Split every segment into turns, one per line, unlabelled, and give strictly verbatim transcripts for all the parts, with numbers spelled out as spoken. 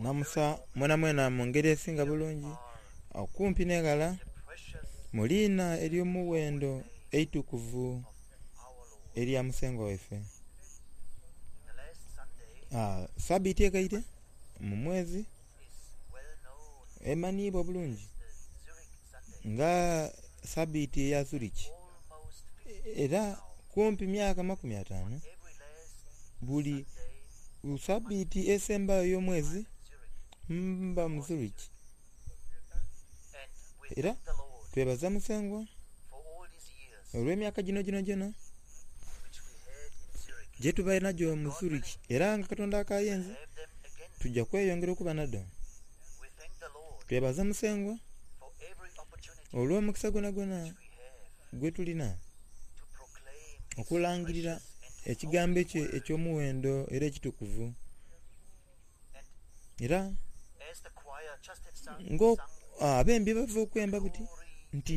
Namusa mwenamwena mu ngeri esinga bulungi okumpi n'eghala mu liina ery'omughendo eitukuvu erya Musengwa waife. Ah, sabiiti egaire mu mwezi emanhiibwa bulungi nga sabiiti eya Zurich era kumpi myaka makumi ataanu buli sabiiti esembayo ey'omwezi mba mu Zurich era twebaza Musengwa olw'emyaka gino gyonagyona gyetubaire nagyo mu Zurich era nga Katonda akayenze tugya kweyongera okuba nadho. Twebaza Musengwa olw'omukisa gwonagwona gwetulina okulangirira ekigambo ekyo eky'omughendo era ekitukuvu. Era nga abembi bava okwemba buti nti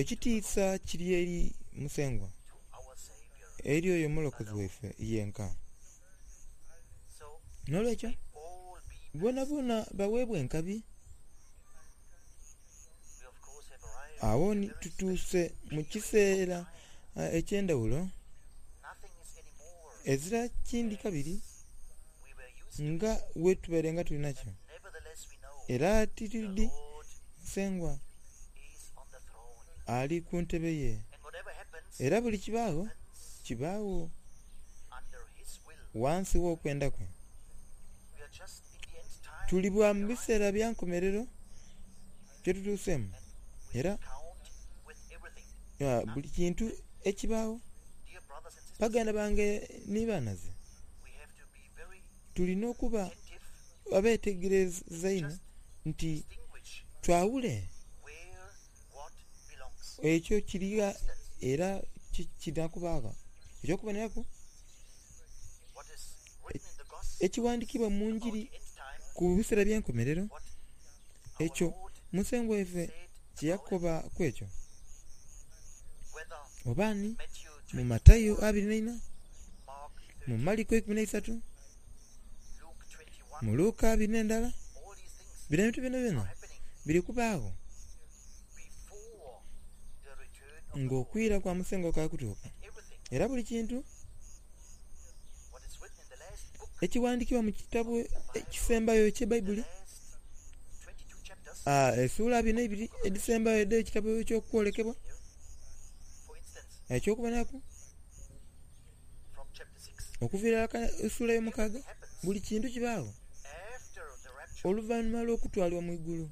ekitiisa kiri eri Musengwa, eri oyo omulokozi waife yenka. N'olwekyo boonaboona baweebwe enkabi. Agho ni tutuuse mu kiseera eky'endhaghulo ezira kindi kabiri nga bwetubaire nga tuli nakyo. Era titwidhi Musengwa ali ku ntebe ye era buli kibaagho, kibaagho ghansi gh'okwenda kwe. Tuli bwa mu biseera bya nkomerero kyetutuuseemu era buli kintu ekibaagho. Baganda bange ni banhaze, tulina okuba abetegereza einho nti twawule ekyo kiri gha era kidha kuba gha. Eky'okuboneraku, ekighandhikibwa mu ngiri ku biseera eby'enkomerero ekyo Musengwa waife kyeyakoba ku ekyo oba ni mu Matayo abiri n'eina, mu Maliko eikumi n'eisatu, mu Luka abiri n'endala, bino ebintu byonabyona biri kubaagho ng'okwira kwa Musengwa kukaali kutuuka. Era buli kintu ekighandhikibwa mu kitabo ekisembayo eky'Ebaibuli, esuula abiri n'eibiri edhisembayo edh'ekitabo eky'okwolekebwa, eky'okuboneraku okuviira ghaka esuula ey'omukaaga, buli kintu kibaagho oluvainhuma lw'okutwalibwa mu igulu.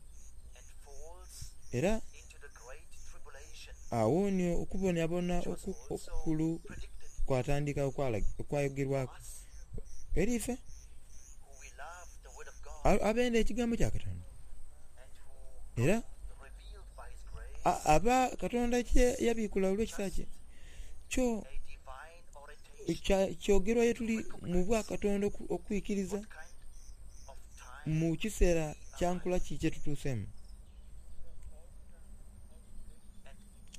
Era agho ni okubonabona okukulu kwatandika okwayogerwaku eri ife abenda ekigambo kya Katonda era aba Katonda kye yabikula olw'ekisa kye kyo kyogerwa ye tuli mu bwakatonda okwikiriza mu kiseera kya nkula ki kyetutuuseemu.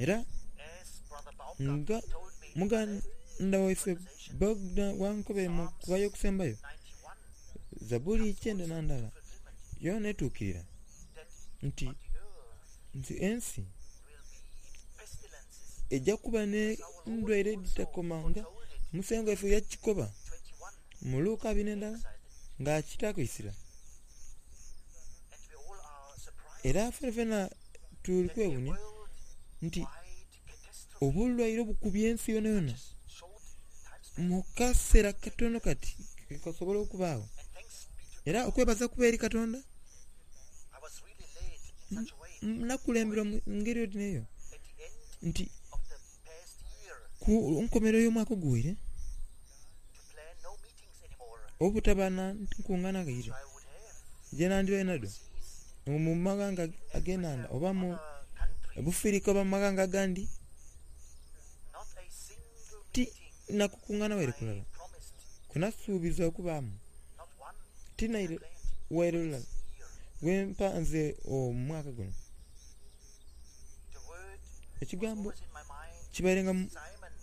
Era nga muganda waife Bogdan bwankobere mu kughaya okusembayo, Zabuli kyenda na ndala yoona etuukirira nti nti ensi eja kuba n'endwaire edhitakoma nga Musengwa waife yakikoba mu Luka abiri n'endala nga akitaaku eisira. Era fenafena tuli kwewuunia nti obulwaire obukubye ensi yonayona mu kaseera katono kati kasobola okubaagho. Era okwebaza kuba eri Katonda nakulemberwa mu ngeri oti n'eyo nti ku nkomerero y'omwaka oguwaire obutaba na nkungaana ghaire gyenandibaire nadho mu maghanga ag'enhandha oba mu Bufirika oba mu maghanga agandi ti nakukungaana waire kulala kwenasuubiza okubaamu ti naire waire lulala lwempanze omwaka guno. Ekigambo kibaire nga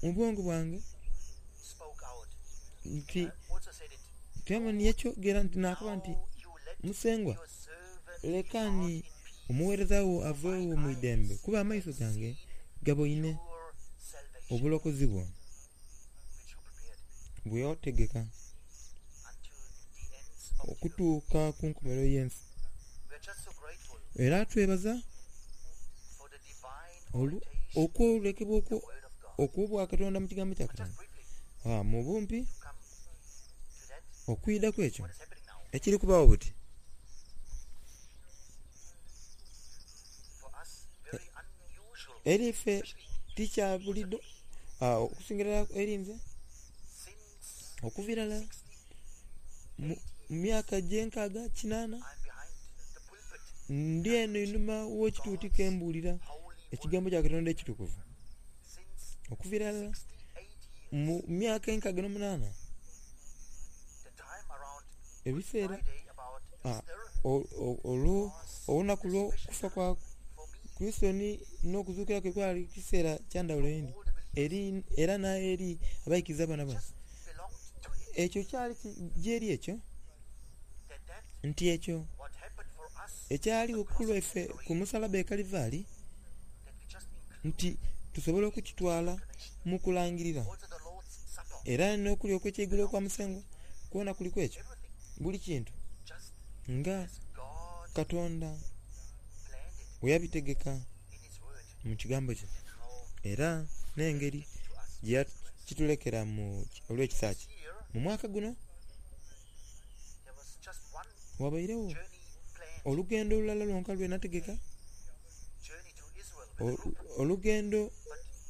mu bwongo bwange nti Simoni yakyogera nti nakoba nti Musengwa, lekani omuweereza wo aveewo mu idembe, kuba amaiso gange gaboine obulokozi bwo bwe wategeka okutuuka ku nkomerero y'ensi. Era twebaza okwolekebwa okw'obwakatonda mu kigambo kya Katonda. Ah, mu bumpi okwidhaku ekyo ekiri kubaawo buti eri ife tikya buliidho okusingira eri nze okuva irala mu myaka gy'enkaaga kinana ndi eno einhuma gh'ekituuti kembulira ekigambo kya Katonda ekitukuvu. Okuva irala mu myaka enkaaga n'omunana ebiseera olunaku olw'okufa kwa Kurisito n'okuzuukira kwe kwali kiseera kya ndhaghulo inho era n'eri abaikiriza boonaboona. Ekyo kyali gyeri ekyo nti ekyo ekyaligho ku lwaife ku musalaba e Kalivaali nti tusobola okukitwala mu kulangirira. Era n'okulya okw'ekyeigulo okwa Musengwa kwona kuliku ekyo, buli kintu nga Katonda bwe yabitegeka mu kigambo kye era n'engeri gyeyakitulekera olw'ekisa kye. Mu mwaka guno wabairegho olugendo olulala lwonka lwenategeka, olugendo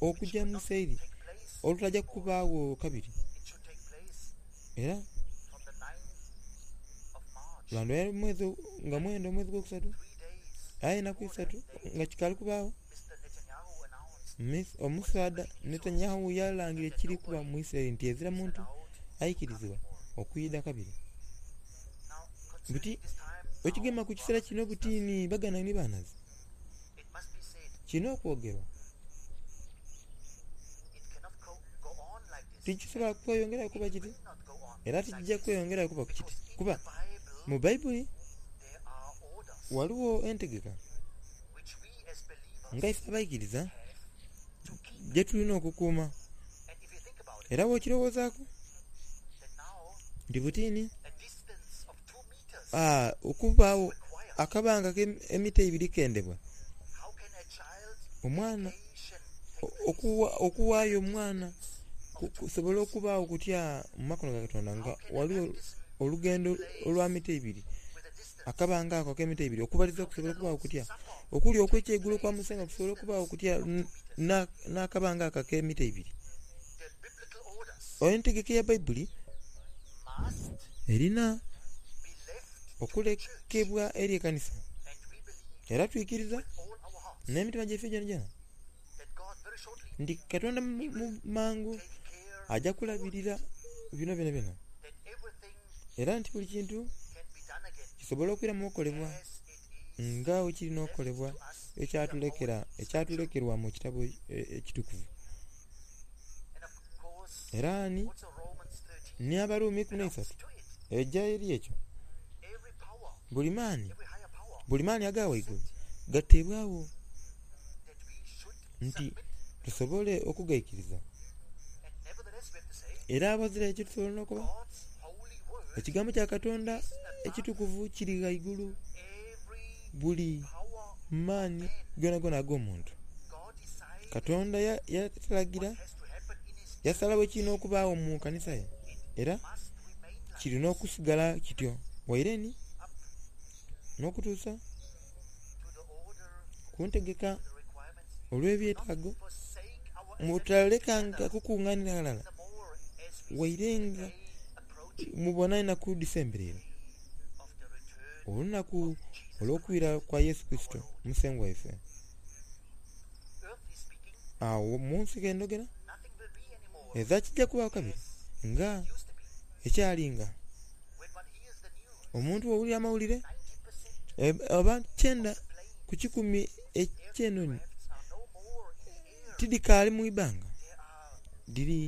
okugya mu Isiraeli olutaja kubaagho kabiri. Era lwandhibaire mwezi nga mwenda omwezi ogwokusatu aye enaku isatu nga kikaali kubaagho, omusaadha Netanyahu yalangirira ekiri kuba mu Isiraeli nti ezira muntu aikirizibwa okwidha kabiri. Buti ekigema ku kiseera kino buti ni baganda ni banhazi, kirina okwogerwa. Tikisobola kweyongerayo kuba kiti era tikija kweyongerayo kuba kiti kuba mu Baibuli ghaligho entegeka nga ife abaikiriza gyetulina okukuuma. Era bw'okirowoozaaku nti butini okubaagho akabanga k'emita ibiri kendebwa, omwana okughaayo omwana kusobola okubaagho kutya mu makono ga Katonda nga ghaligho olugendo olwa mita ibiri, akabanga ako ak'emita ibiri okubatiza kusobola okubaagho kutya, okulya okw'ekyeigulo okwa Musengwa kusobola okubaagho kutya n'akabanga ako ak'emita ibiri. Entegeka eya Baibuli erina okulekebwa eri ekanisa era twikiriza n'emitima gyaife gyonagyona nti Katonda mu mangu aja kulabirira bino byonabyona era nti buli kintu kisobola okwiramu okolebwa nga bwekirina okolebwa ekyatulekerwa mu kitabo ekitukuvu. Era ni n'Abaruumi ikumi n'eisatu eja eri ekyo, buli maani buli maani aga ghaigulu gateebwagho nti tusobole okugaikiriza. Era aghazira ekyo tusobola n'okuba ekigambo kya Katonda ekitukuvu kiri ghaigulu buli maani gonagona ag'omuntu. Katonda yalagira yasalagho ekirina okubaagho mu kanisa ye era kirina okusigala kityo waire ni n'okutuusa ku ntegeka olw'ebyetaago mutalekanga kukunganira ghalala waire nga mubona enaku dhisembereire olunaku olw'okwira kwa Yesu Kurisito Musengwa waife. Agho mu nsi ghendhogera eza kijja kubaagho kabiri nga ekyalinga omuntu bw'owulira amawulire oba kyenda ku kikumi eky'enhonhi tidhikaali mu ibanga dhiri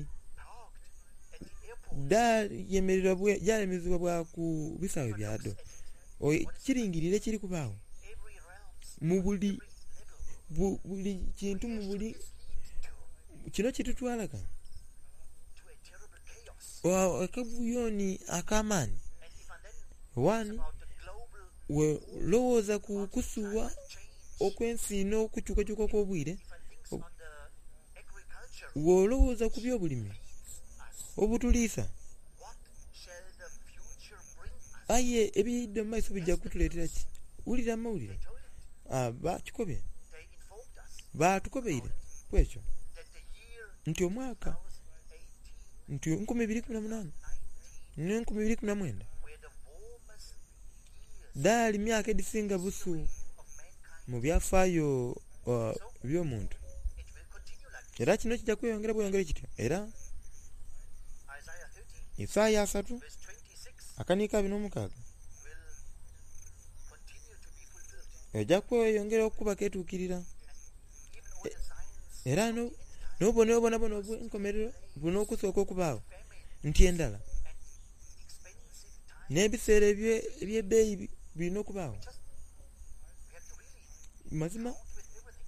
dhayemerezebwa bwa ku bisaawe byadho. Kiringirire ekiri kubaagho mu buli buli kintu mu buli kino kitutwala ka akabuyoni ak'amaani. Wani welowooza ku kusuwa okw'ensi n'okukyukakyuka okw'obwire, wolowooza ku byobulimi obutuliisa, aye ebiidha mu maiso bijja kutuleetera ki? Wulira amawulire. Bakikobye, batukobeire ku ekyo nti omwaka nti enkumi ibiri ikumi na munaana n'enkumi ibiri ikumi na mwenda dhaali myaka edhisinga busu mu byafaayo by'omuntu. Era kino kija kweyongera bweyongere kityo. Era Isaaya asatu akaniika abiri n'omukaaga eja kweyongera okuba ketuukirira. Era n'obubonero bwonabwona obw'enkomerero bulina okusooka okubaagho nti endhala n'ebiseera eby'ebbeeyi birina okubaagho. Mazima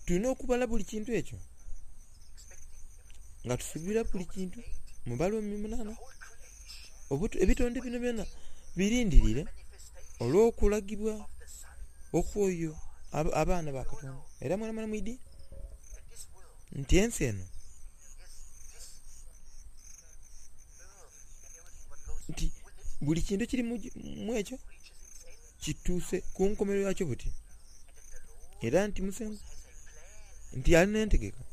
tulina okubala buli kintu ekyo nga tusuubira buli kintu. Mu Balumi munaana, ebitonde bino byona birindirire olw'okulagibwa okw'oyo abaana ba Katonda. Era mwenamwena mwidhi nti ensi eno nti buli kintu ekiri mu ekyo kituuse ku nkomerero yakyo buti. Era nti Musengwa nti alina entegeka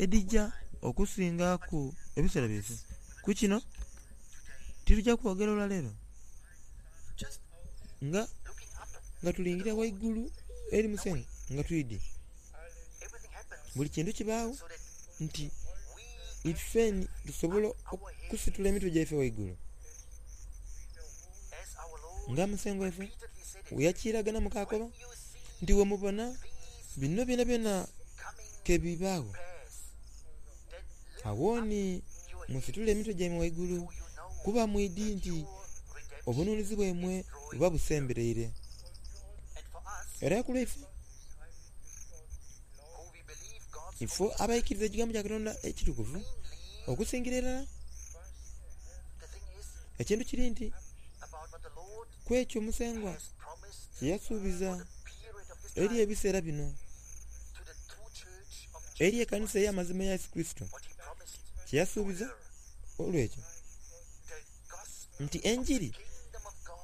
edhija okusingaku ebiseera byaife. Ku kino tituja kwogera olwaleero nga nga tulingira ghaigulu eri Musengwa nga twidhi buli kintu kibaagho nti ifeni tusobola okusitula emitwe gyaife ghaigulu nga Musengwa waife bweyakiragana mu kakoba nti wemubona bino byonabyona kebibaagho, awooni musitule emitwe gyaimwe ghaigulu kuba mwidhi nti obununuzi bwaimwe buba busembereire. Era ku lwaife ifo abaikiriza ekigambo kya Katonda ekitukuvu okusingira irala, ekintu kiri nti ku ekyo Musengwa kye yasuubiza eri ebiseera bino eri ekanisa ey'amazima eya Yesu Kurisito, kye yasuubiza olw'ekyo nti enjiri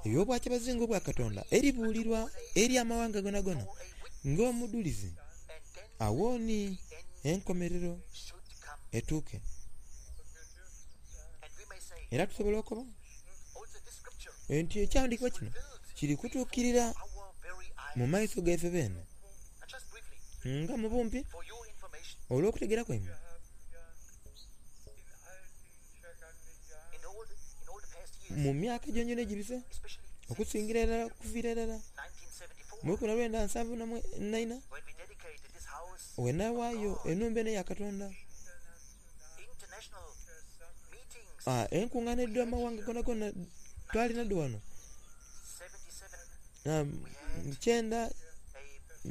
ey'obwakyabazinga obwa Katonda eribuulirwa eri amawanga gonagona ng'omudhulizi, awooni enkomerero etuuke. Era tusobola okukoba nti ekyawandiikibwa kino kiri kutuukirira mu maiso gaife beene nga mu bumpi olw'okutegeera kwaimwe. Mu myaka gyongyona egibise, okusingira irala okuviira irala mu lukumi na lwenda nsanvu na ina wenawaayo enhumba eno eya Katonda, enkungaana edh'amawanga gonagona twalina dho wano kyenda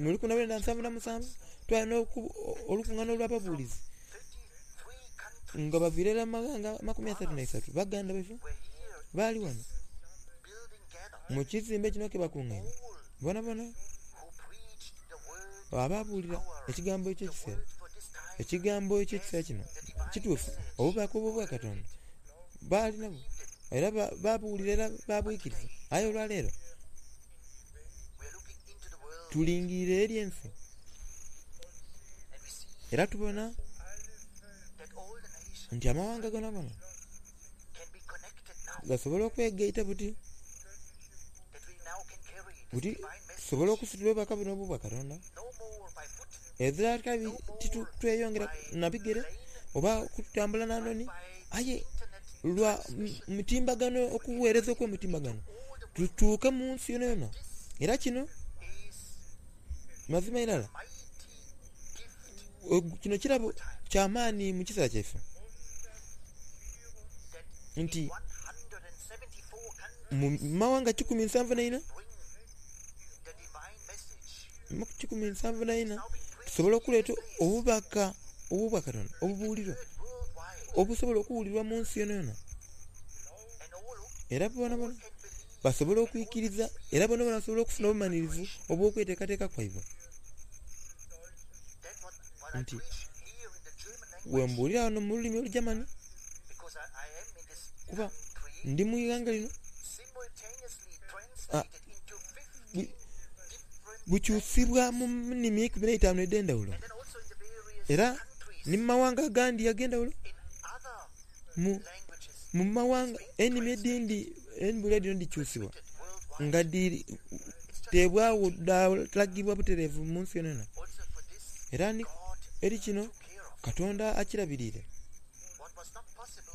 mu lukumi na lwenda nsanvu na musanvu twalina olukungaana olw'ababuulizi nga baviire irala mu maghanga amakumi asatu n'eisatu. Baganda baife baali wano mu kizimbe kino kebakungaine bonabona ababuulira ekigambo eky'ekiseera. Ekigambo eky'ekiseera kino kituufu, obubaka obw'obwa Katonda baali nabwo era babuwulira era babwikiriza. Aye olwaleero tulingirire eri ensi era tubona nti amawanga gonagona gasobola okwegaita buti buti tusobola okusitula obubaka buno obw'obwa Katonda. Ezira kabi titweyongera na bigere oba kutambula na noni, aye lwa mitimbagano, okuweereza okw'omutimbagano tutuuke mu nsi yonayona. Era kino mazima irala kino kirabo kya maani mu kiseera kyaife nti Mu mawanga kikumi nsanvu na ina, kikumi nsanvu na ina, tusobola okuleeta obubaka obwa Katonda obubuulirwa, obusobola okuwulirwa mu nsi yonayona. Era bonabona basobola okwikiriza, era bonabona basobola okufuna obumanhirivu obw'okweteekateeka kwaibwe. Nti bwembuulira wano mu lulimi Olugermany, kuba ndi mu ighanga lino, bukyusibwa mu nnimi eikumi n'eitaanu edh'endhaghulo era ni mu mawanga agandi ag'endhaghulo, mu mawanga enimi edhindi embuulira dhino dhikyusibwa nga dhiteebwagho dhalagibwa butereevu mu nsi yonayona. Era eri kino Katonda akirabiriire.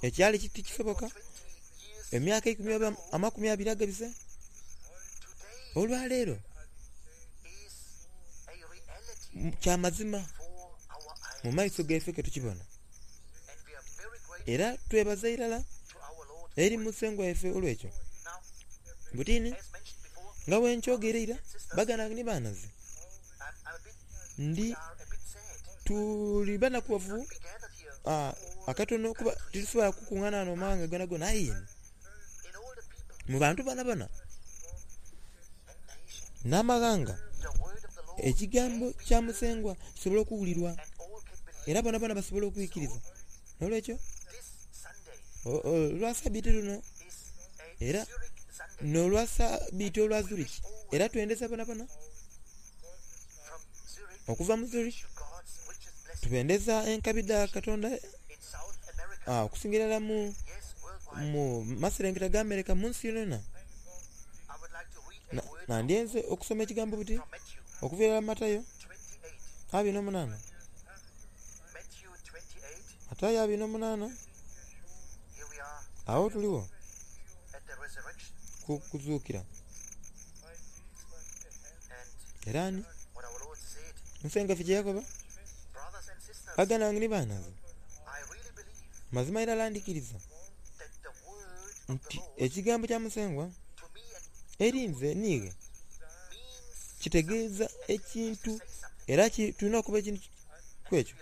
Ekyali tikisoboka emyaka eikumi oba amakumi abiri agabise, olwaleero kya mazima mu maiso gaife ketukibona. Era twebaza irala eri Musengwa waife olw'ekyo. Butini nga bwenkyogeire eira, baganda bange ni banhazi, ndi tuli banakughavu akatono kuba titusobola kukungaana ghano mu mawanga gonagona aye mu bantu bonabona n'amaghanga, ekigambo kya Musengwa kisobola okuwulirwa era bonabona basobola okwikiriza. N'olwekyo, olwa sabiti luno era n'olwa sabiti olwa Zurich, era twendeza bonabona okuva mu Zurich, tubendeza enkabi dha Katonda okusingira irala mu maserengeta ga America mu nsi yonayona. Nandyenze okusoma ekigambo buti okuva irala mu Matayo abiri n'omunaana. Matayo abiri n'omunaana, agho tuligho ku kuzuukira. Era ni Musengwa waife kye yakoba, baganda bange ni banhazi, mazima irala ndhikiriza nti ekigambo kya Musengwa eri nze niiwe kitegeeza ekintu era tulina okuba ekintu ku ekyo,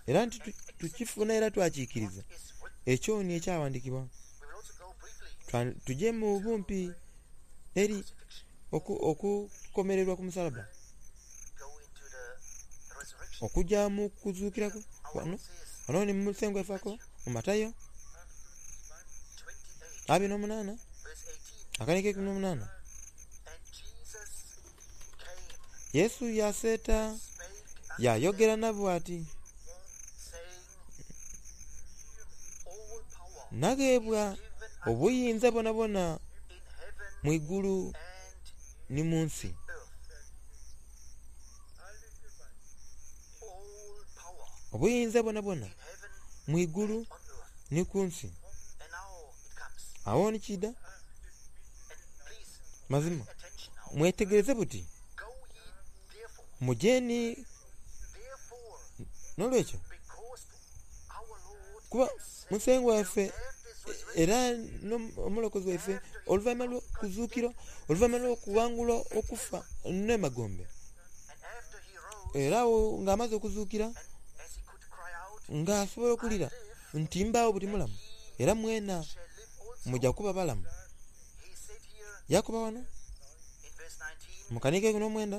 era nti tukifuna era twakikiriza. Ekyo ni ekyaghandhiikibwa. Tuje mu bumpi eri okukomererwa ku musalaba, okugya mu kuzuukira kwe. Ghano ni Musengwa waife akoba mu Matayo abiri n'omunaana akaniiko eikumi n'omunaana, Yesu yaseeta yayogera nabo ati, nagheebwa obuyinza bwonabwona mu igulu ni mu nsi. Obuyinza bwonabwona mu igulu ni ku nsi. Agho ni kiidha. Mazima mwetegereze buti muje ni n'olwekyo kuba Musengwa waife era n'Omulokozi waife oluvainhuma lw'okuzuukira, oluvainhuma lw'okughangula okufa n'emagombe, era agho nga amaze okuzuukira nga asobola okulira nti mbaagho buti mulamu era mwena muja kuba balamu. Yakoba ghano mu kanhigo eikumi n'omwenda,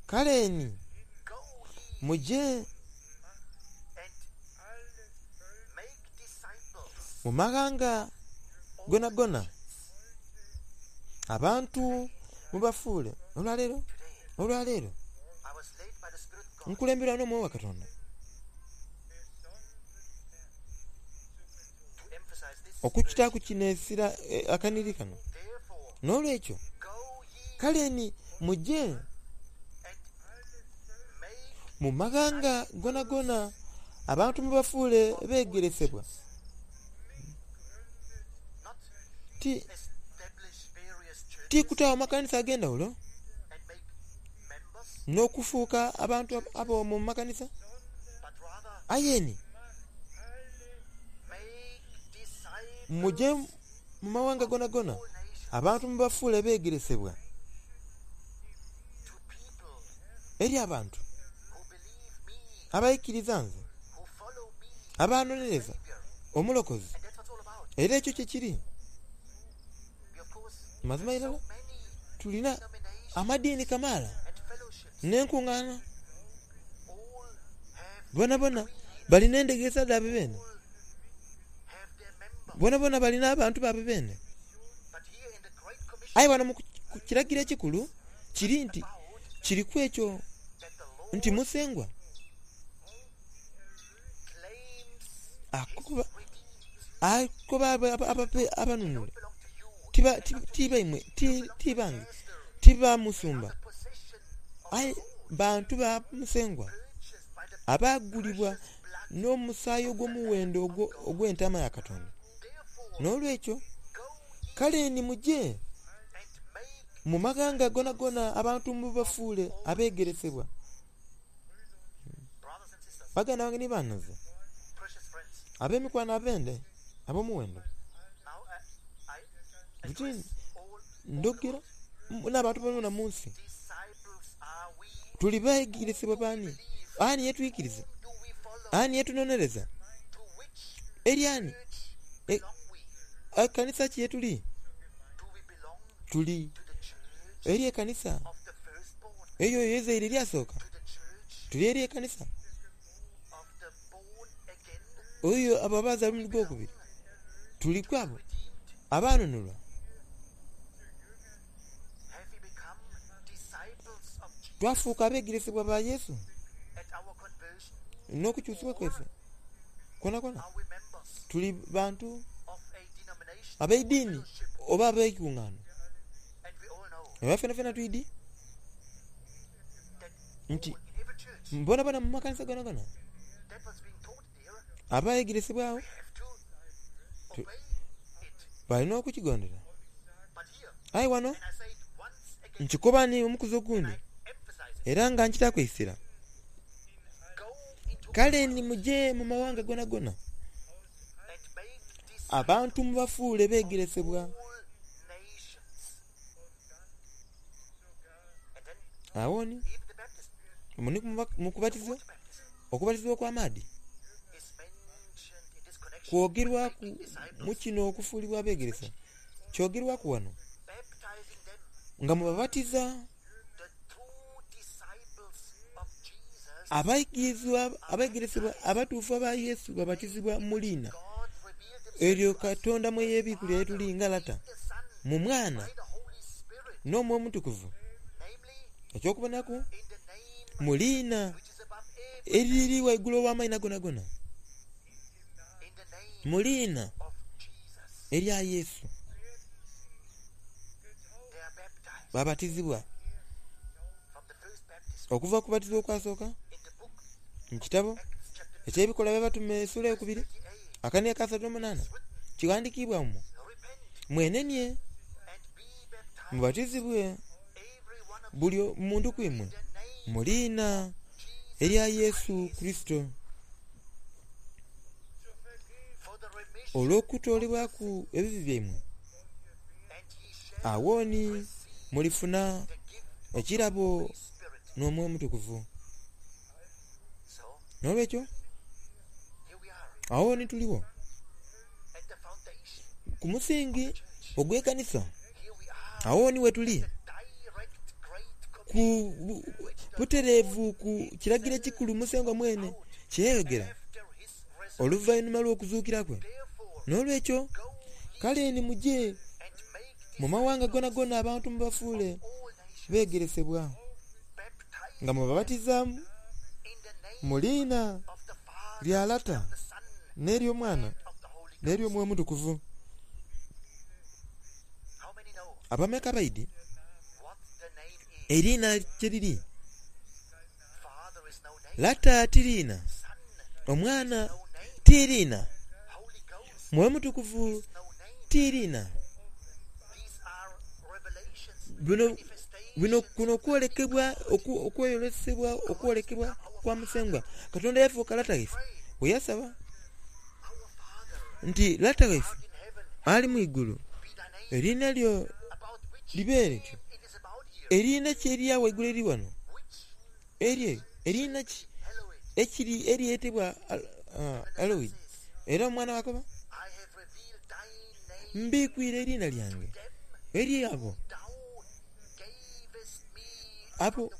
kale ni muje mu maghanga gonagona abantu mubafuule. Olwaleero, olwaleero nkulemberwa n'Omwoyo wa Katonda okukitaaku kino essira akanhiriri kano. N'olwekyo kale ni muje mu maghanga gonagona abantu mubafuule beegeresebwa. Ti, ti kutaagho makanisa ag'endhaghulo n'okufuuka abantu ab'omu makanisa, aye ni muje mu mawanga gonagona abantu mubafuule beegeresebwa
to people
eri abantu
who believe me,
abaikiriza nze
who follow me,
abanonereza
Savior.
omulokozi
And that's what it's all about.
era ekyo kye kiri
We, of course,
mazima
have so
irala
many
tulina
denominations
amadiini kamaala
and fellowships.
n'enkuŋŋaana
All have
bona bona balina endegeesa dhaabwe beene
all have their members.
bona bona balina abantu baabwe beene
But here in the Great Commission,
aye wano mu ku kiragiro ekikulu kiri nti
about
kiriku ekyo
that the Lord
nti musengwa
claims
akoba
redeemed.
akoba aba- aba- abape- abanunule
Don't belong to you.
tiba ti- tibaimwe ti- tibange
Pastor,
tiba musumba
the possession of
aye
the Lord,
bantu ba musengwa
purchased by the
abaagulibwa
precious blood.
n'omusaayi ogw'omuwendo ogwo- ogw'entaama ya katonda
Therefore,
n'olwekyo
go ye
kale ni mujje
and make
mu maganga gonagona abantu mubafuule abeegeresebwa
brothers and sisters,
baganda bange ni banaze
precious friends.
ab'emikwano abende ab'omuwendo
Now I, I
Buti
address all, all the
ndogera
world.
m- n'abantu bonna mu nsi
Disciples are we?
tuli beegeresebwa baani ani yetwikiriza
Whom do we follow?
ani yetunonereza
To which
eri ani
church
E-
belong we?
ekanisa ki yetuli
Do we belong
tuli
to the church
eri ekanisa
of the firstborn?
eyo eyezaire eryasooka
To the church
tuli eri ekanisa
of the born again?
oyo abo abazaala omulundi gwokubiri tuli kwabo
Redeemed?
abaanunulwa
Have we become disciples of Jesus
twafuuka abeegeresebwa ba yesu
at our conversion?
n'okukyusibwa kweffe kona kona
Are we members
tuli bantu
of a denomination
ab'eddiini
fellowship?
oba ab'ekuŋŋaano
And we all know
era ffena ffena twidi
that
nti
all in every church
mbonabona mu makanisa gona gona
that was being taught there,
abayegeresebwawo
we have to
To-
obey it.
balina okukigondera
But here,
aye wano
and I say it once again,
nkikoba ni omukuzi
and
ogundi
I emphasize it,
era nga nkitakwesera
go into
kale
the
ni
world
muje mu mawanga gona gona
and make disciples
abantu mubafuule
of
beegeresebwa
all nations. And then
awo ni
even the baptism,
muni mu kubatizibwa
water baptism,
okubatizibwa okw'amaadi
is mentioned in this connection with
kwogerwaku
making
mu
disciples,
kino okufuulibwa abeegeresa kyogerwaku wano
baptizing them,
nga mubabatiza
the true disciples of Jesus.
abayigirizwa abaegeresebwa abatuufu aba yesu babatizibwa mu liina
God revealed himself
eryo
to us,
katonda mwe yeebiikulira etuli nga lata
the Son,
mu mwana
by the Holy Spirit,
n'omwoyo omutukuvu
namely
ekyokubonaku
in the name
mu liina
which is above every
eriri waggulu ow'amaina gonagona
in the name
mu liina
of Jesus.
erya yesu
They are baptized
babatizibwa
from the first baptism
okuva ku kubatizibwa okwasooka
in the book
mu kitabo
Acts chapter
ekyebikolwa by'abatume essuula eyokubiri
thirty-eight
akani akasatu n'omunaana
written,
kiwandiikibwa mu
repent
mwenenye
and be baptized
mubatizibwe
every one of you
buli muntu ku imwe
in the name
mu liina
of Jesus
erya yesu
Christ
kristo
for the remission
olw'okutoolebwaku ebibi byammwe
and ye shall
awo ni
receive
mulifuna
the gift of the
ekirabo
Holy Spirit.
n'omwoyo omutukuvu
So
n'olwekyo
here we are
awo ni tuliwo
at the foundation
ku musingi
of the church.
ogw'ekkanisa
Here we are
awo ni we tuli
the direct great
ku
commission
bu-
which the
butereevu ku kiragiro ekikulu musengwa mwene kyeyayogera
after his resurrection.
oluvannyuma lw'okuzuukira kwe
Therefore,
n'olwekyo
go ye
kale ni mujje
and make
mu mawanga gonagona abantu mubafuule
all nations,
beegeresebwa
baptizing
nga mubabatiza
in the name
mu liina
of the Father,
lya lata
the Son,
n'ery'omwana
and of the Holy Ghost.
n'ery'omwoyo omutukuvu
How many know
abameka baidi
what the name is?
eriina kye liri
Father is no name,
lata tiriina
Son
omwana
no name,
tiriina
Holy Ghost
mwoyo mutukuvu
is no name.
tiriina
These are revelations,
bino bino
manifestations
kuno kwolekebwa oku- okweyolesebwa okwolekebwa kwa musengwa katonda yafuuka lata waife
Pray,
bwe yasaba
Our Father
nti lata waife
art in heaven,
ali mu igulu Eriina lyo libe lityo. Eriina ki erya waigulu eri wano? Erye eriina ki ekiri eryetebwa Eloi? Era omwana bw'akoba, mbikwire eriina lyange eri abo abo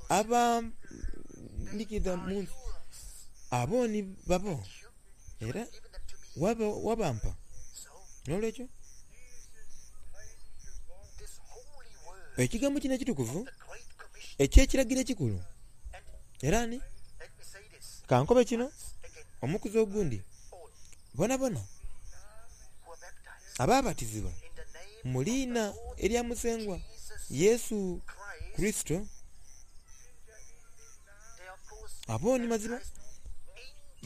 abandhikiza mu nsi. Abo ni babo era wabampa. N'olwekyo ekigambo kino ekitukuvu eky'ekiragiro ekikulu, era ni kankobe kino omukuzi ogundi, bonabona abaabatizibwa mu liina erya Musengwa Yesu Kurisito, abo ni mazima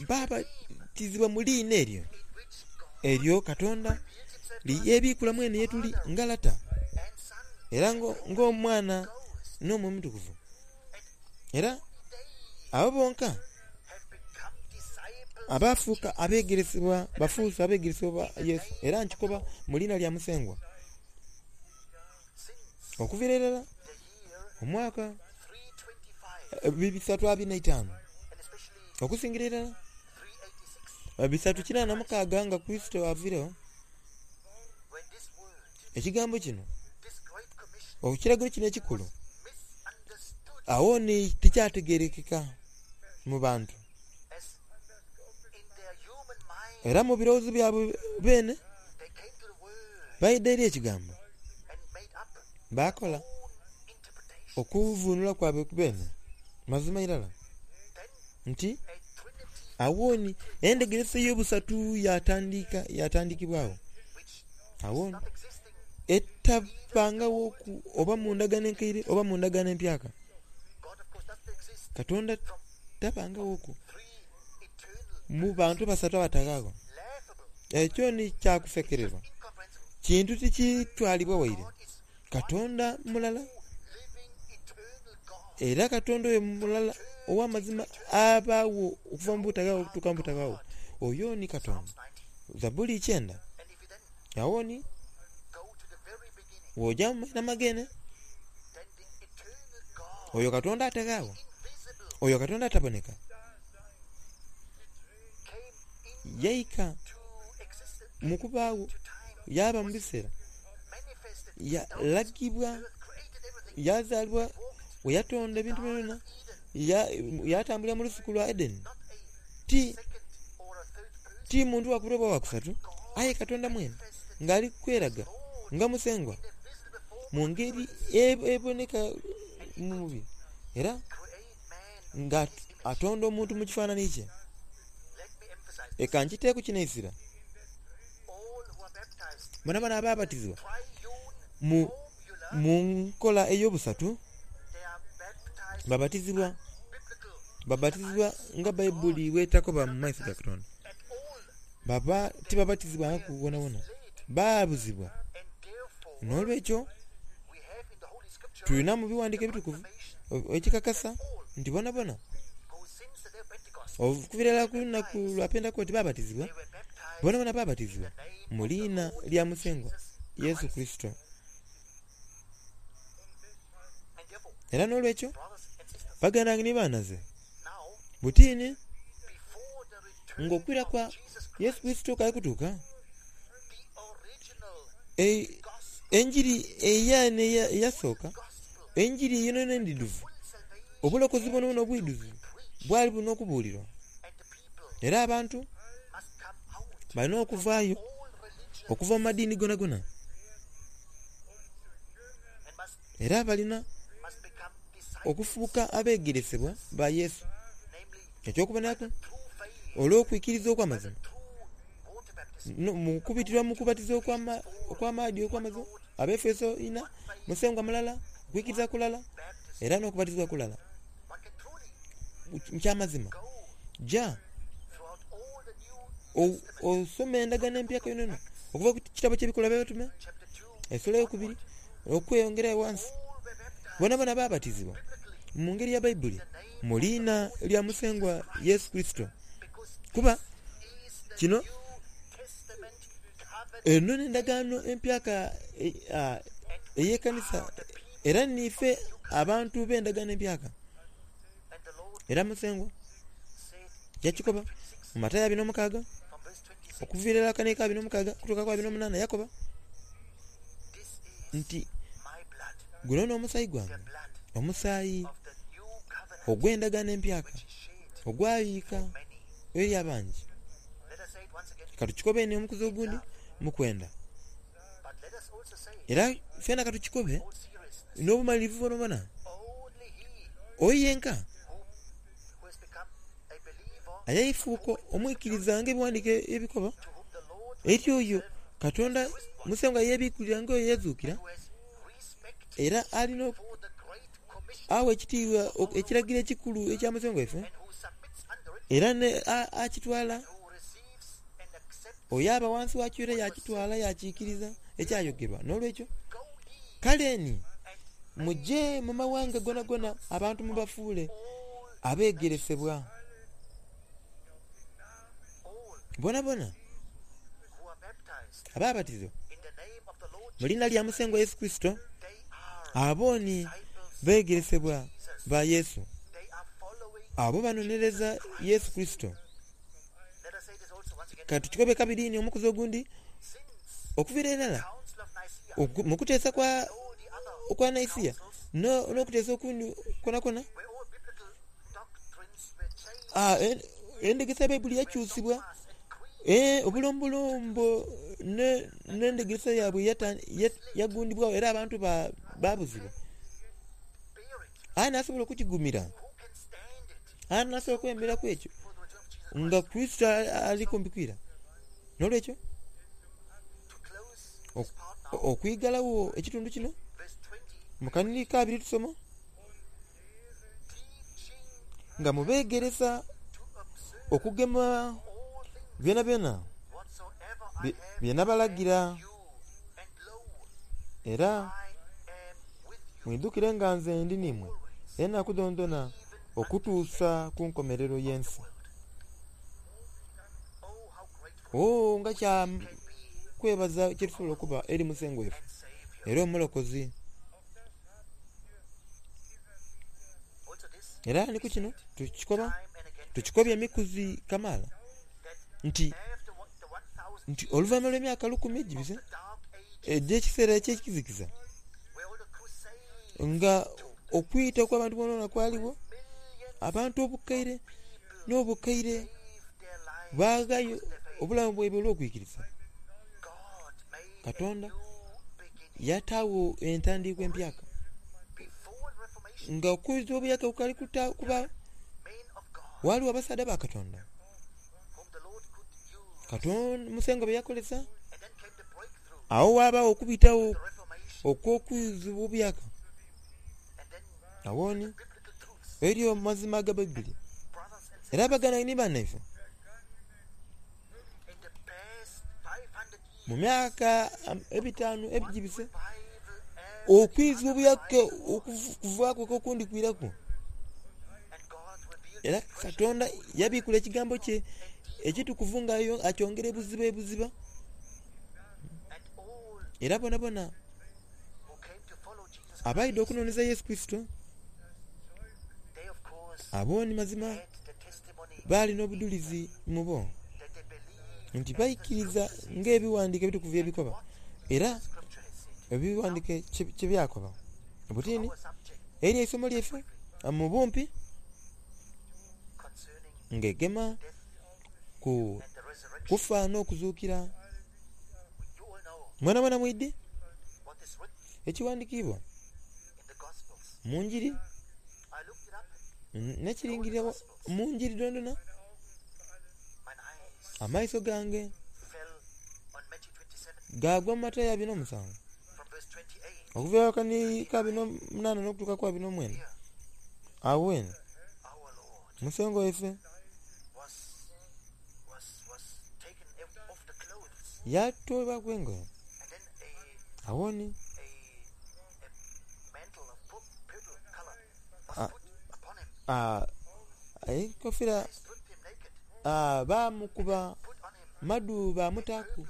baabatizibwa mu liina eryo eryo Katonda lyebiikula mwene ye tuli nga Lata era ng'Omwana n'Omwoyo Omutukuvu. Era abo bonka abafuuka abeegeresebwa bafuuse abeegeresebwa ba Yesu. Era nkikoba mu liina lya Musengwa. Okuviira irala omwaka bisatu abiri na itaanu okusingira irala bisatu kinaana na mukaaga nga Kurisito aviiregho, ekigambo kino ekiragiro kino ekikulu agho ni tikyategeerekeka mu bantu. Era mu birowoozo byabwe beene baidha eri ekigambo baakola okuvuunula kwabwe beene mazima irala nti agho ni endhegeresa ey'obusatu yatandika yatandikibwagho. Agho ni etabangaghoku oba mu ndagaano enkaire oba mu ndagaano empyaka. Katonda tabangaghoku mu bantu basatu abataghaagho. Ekyo ni kyakusekererwa, kintu tikitwalibwa waire. Katonda mulala, era Katonda oyo mulala ow'amazima abaagho okuva mu butaghaagho okutuuka mu butaghaagho. Oyo ni Katonda. Zabbuli ikyenda. Agho ni bw'oja mu maina magene, oyo Katonda ataghaagho, oyo Katonda ataboneka, yaika mu kubaagho, yaaba mu biseera, yalagibwa, yazaalibwa bwe yatonda ebintu byonabyona, yatambulira mu lusuku lwa Edeni. Ti, ti muntu wa kubiri oba wa kusatu, aye Katonda mwene ng'ali kweraga nga Musengwa mu ngeri eboneka mu mubiri, era nga atonda omuntu mu kifaananyi kye. Eka nkiteeku kino eisira. Bonabona abaabatizibwa mu, mu nkola ey'obusatu babatizibwa babatizibwa nga Baibuli bw'etakoba mu maiso ga Katonda. Baba tibabatizibwangaku wonawona, baabuzibwa. N'olwekyo tulina mu biwandiiko ebitukuvu ekikakasa nti bonabona okuviira irala ku lunaku lwa Pentekooti baabatizibwa, bonabona baabatizibwa mu liina lya Musengwa Yesu Kurisito. Era n'olwekyo baganda bange ni baanaze, butiini ng'okwira kwa Yesu Kurisito kali kutuuka, enjiri eyene eyasooka, enjiri yonayona endidhuvu, obulokozi bwonabwona obwidhuvu bwali bulina okubuulirwa. Era abantu balina okuvaayo okuva mu madiini gonagona, era balina okufuuka abeegeresebwa ba Yesu. Eky'okuboneraku olw'okwikiriza okw'amazima mu kubitirwa mu kubatiza okw'amaadhi okw'amazima, Abaefeso ina, Musengwa mulala, okwikiriza kulala, era n'okubatizibwa kulala. Kyamazima, ja osome endagaano empyaka yonayona okuva ku kitabo ky'Ebikolwa by'Abatume esula eyokubiri okweyongera ghansi. Bonabona baabatizibwa mu ngeri ya Baibuli mu liina lya Musengwa Yesu Kurisito. Kuba kino eno n'endagaano empyaka ey'ekanisa era niife abantu b'endagaano empyaka. Era Musengwa yakikoba mu Matayo abiri n'omukaaga okuviira irala akanika abiri n'omukaaga okutuuka ku abiri n'omunaana yakoba nti guno n'omusaayi gwange, omusaayi ogw'endagaano empyaka ogwayiika eri abangi. Katukikobe eni omukuzi ogundi mukwenda. Era fena katukikobe n'obumalirivu bwonabwona. Oyo yenka ayaifuuka omwikiriza nga ebiwandiike ebikoba eri oyo Katonda Musengwa yebikulira nga oyo eyazuukira era alina awa ekitiibwa ekiragiro ekikulu ekya Musengwa waife era akitwala oyo aba wansi wakyo era yakitwala yakikiriza ekyayogerwa. N'olwekyo kale ni muje mu mawanga gonagona abantu mubafuule abeegeresebwa bonabona ababatizibwa mu liina lya Musengwa Yesu Kurisito abo ni beegeresebwa ba Yesu. Abo banonereza Yesu Kurisito. Katukikobe kabiri ni omukuzi ogundi okuviira irala mu kuteesa kwa okwa Naisia n'okuteesa okundi kwonakwo endhegeresa ya Baibuli yakyusibwa, obulombolombo n'endhegeresa yaibwe yagundibwagho era abantu babuzibwa. Aye nasobola okukigumira, aye nasobola okwemeraku ekyo nga Kurisito ali kumpi kwira. N'olwekyo okwigalawo ekitundu kino mu kanhiriri ka abiri tusoma nga mubeegeresa okugema byonabyona bye nabalagira, era mwidhukire nga nze ndi n'imwe enaku dhonadhona okutuusa ku nkomerero y'ensi. Oo, nga kya kwebaza kyetusobola okuba eri Musengwa waife era Omulokozi. Era ni ku kino tukikoba tukikobye emikuzi kamaala nti nti oluvainhuma lw'emyaka lukumi egibise egy'ekiseera eky'ekizikiza nga okwita okw'abantu boonaboona kwaligho, abantu obukaire n'obukaire baaghayo obulamu bwaibwe olw'okwikiriza. Katonda yataagho entandiikwa empyaka nga okwiza obuyaka kukali kubaagho, ghaligho abasaadha ba Katonda Katonda Musengwa be yakozesa. Agho ghabagho okubitagho okw'okwizibwa obuyaka. Agho ni eriyo amazima aga Baibuli. Era abaganda ni banaife mu myaka ebitaanu egibise, okwizibwa obuyaka okuvaaku okundi kwiraku. Era Katonda yabikula ekigambo kye ekitukuvu nga akyongera ebuziba ebuziba. Era bonabona abaidha okunoneza Yesu Kurisito abo ni mazima baali n'obudhulizi mu bo nti baikiriza ng'ebiwandiike ebitukuvu ebikoba era ebiwandiike kyebyakoba. Butini eri eisomo lyaife mu bumpi ng'egema ku kufa n'okuzuukira. Mwenamwena mwidhi ekiwandikiibwa mu njiri n'ekiringirira mu njiri dhonadhona. Amaiso gange gaagwa mu Matayo abiri n'omusanvu okuviira akanhiriri ka abiri n'omunaana n'okutuuka ku abiri n'omwenda. Agho eno Musengwa waife yatoolebwaku engoye. Agho ni enkofira baamukuba madu baamutaaku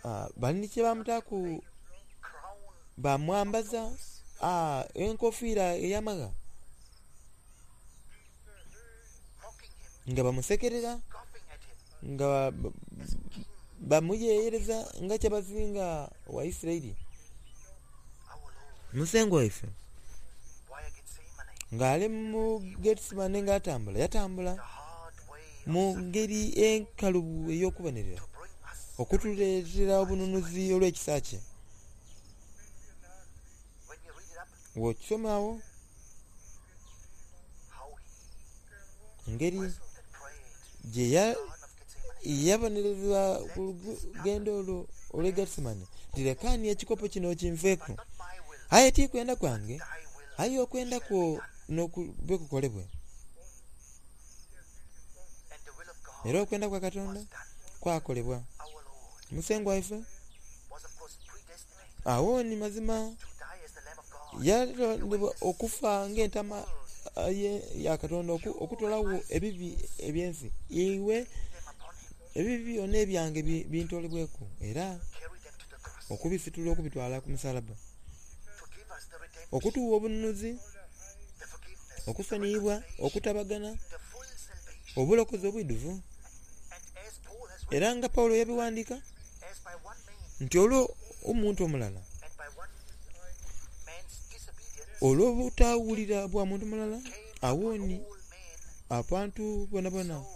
Ah, bali kye bamutaaku
crown
bamwambaza ah, enkofiira ey'amagha
mocking him,
nga bamusekerera
scoffing at him
nga ba-
as king.
bamuyeyereza nga kyabazinga wa Isirayiri.
Our Lord,
Musengwa waife
why Gethsemane,
ng'ali mu Getsemane ng'atambula yatambula
the hard way of
mu ngeri enkalubu ey'okubonerera
to bring us
okutuleetera obununuzi olw'ekisa kye.
when you read it up,
Bw'okisomaawo
how he
engeri
wrestled and prayed,
gye ya-
Garden of Gethsemane.
yabonerezebwa ku lugendo olwo olw'e Getsemane nti lekaani ekikopo kino kinveeku
But not my will,
aye ti kwenda kwange
thy will
aye okwenda kwo n'okube kukolebwe.
and the will of God
Era okwenda kwa Katonda
was done.
kwakolebwa.
Our Lord
Musengwa waife
was of course predestinated
awo ni mazima
to die as the Lamb of God.
yalondebwa okufa ng'entama ah, ye- ya Katonda oku- okutolawo ebibi ebyensi iwe
Them upon him,
ebibi byonna ebyange bi- bintolebweku era
carry them to the cross,
okubisitula okubitwala ku musalaba
to give us the redemption,
okutuwa obununuzi
the forgiveness, the
okusoniyibwa
reconciliation,
okutabagana
the full salvation.
obulokozi obwidduvu
And as Paul has written,
era nga Pawulo yabiwandiika
as by one man
nti olwo omuntu omulala
and by one man's disobedience
olw'obutawulira bwa muntu mulala
came
awooni
upon all men,
abantu bona bona
so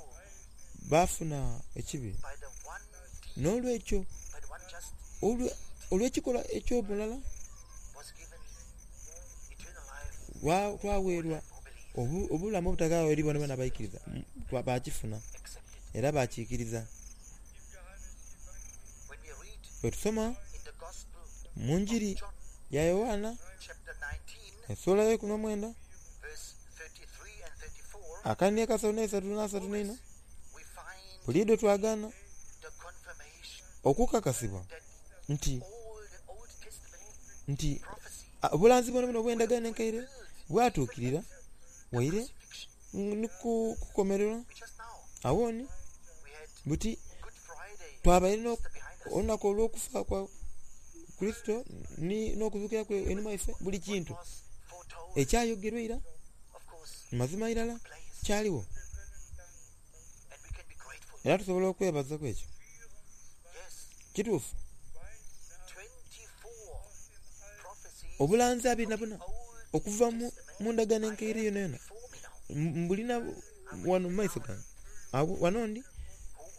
baafuna ekibi
by the one deed,
n'olwekyo
by the one just
olwe- olw'ekikolwa eky'omulala
was given eternal life
wa- twaweerwa
who believe,
obu- obulamu obutagaawo eri bona bona abaikiriza M- twa- baakifuna
accepted.
era bakiikiriza.
When we read
Bwe tusoma
in the Gospel
mu njiri
of John,
ya Yowaana
chapter nineteen,
essula y'ekumi n'omwenda
verse thirty-three and thirty-four,
akani akasatu n'esatu n'asatu n'ena
we find
buliiddo twagaana
the confirmation
okukakasibwa
that
nti
all the Old Testament
nti
prophecy
ah, obulanzi bwona bwona obw'endagaano enkaire bwatuukirira waire
crucifixion.
ni ku kukomererwa
We just now
awooni
we had
buti
Good Friday
twabaire n'o-
Easter behind us.
olunaku olw'okufa kwa Kristo ni- n'okuzuukira kwe enuma ife buli kintu
Was foretold,
ekyayogerwa eira
of course,
mazima irala
place,
kyaliwo
and we can be grateful.
era tusobola okwebaza ku ekyo
Yes,
kituufu
twenty-four prophecies
obulanzi abiri na buna
Old
okuva mu mu ndagaano enkaire yona yona
before me now,
M- mbulina wano mu maiso gange Awo- wano ndi
who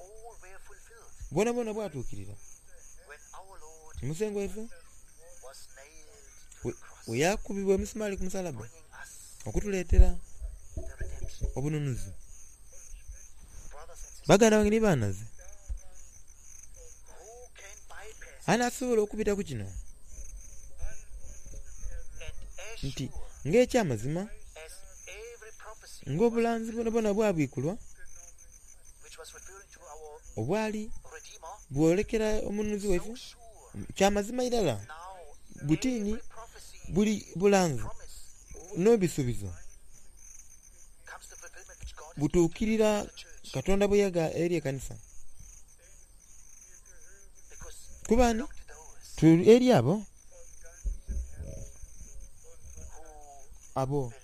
all were fulfilled
bwona bwona bwatuukirira
when our Lord
omusengo waife
was nailed to
we
the cross,
we yakubibwa emisumaali ku musalaba
bringing us
okutuleetera
the redemption.
obununuzi.
Brothers and sisters,
Baganda bange ne baanaze
who can bypass
anaasobola okubita ku kino
and as
nti
sure
ng'ekyamazima
as every prophecy
ng'obulanzi bwona bwona bwabwikulwa
which was referring to our
obwali
Redeemer,
bwolekera omununuzi
so
waife
sure
kyamazima irala
now
butiini
every prophecy
buli bulanzi
promise
n'ebisuubizo
comes to fulfillment which God has
butuukirira
given to the church
Katonda bwe yaga eri ekkanisa
because we
kuba ni
belong to those
tuli eri abo
who
abo
believe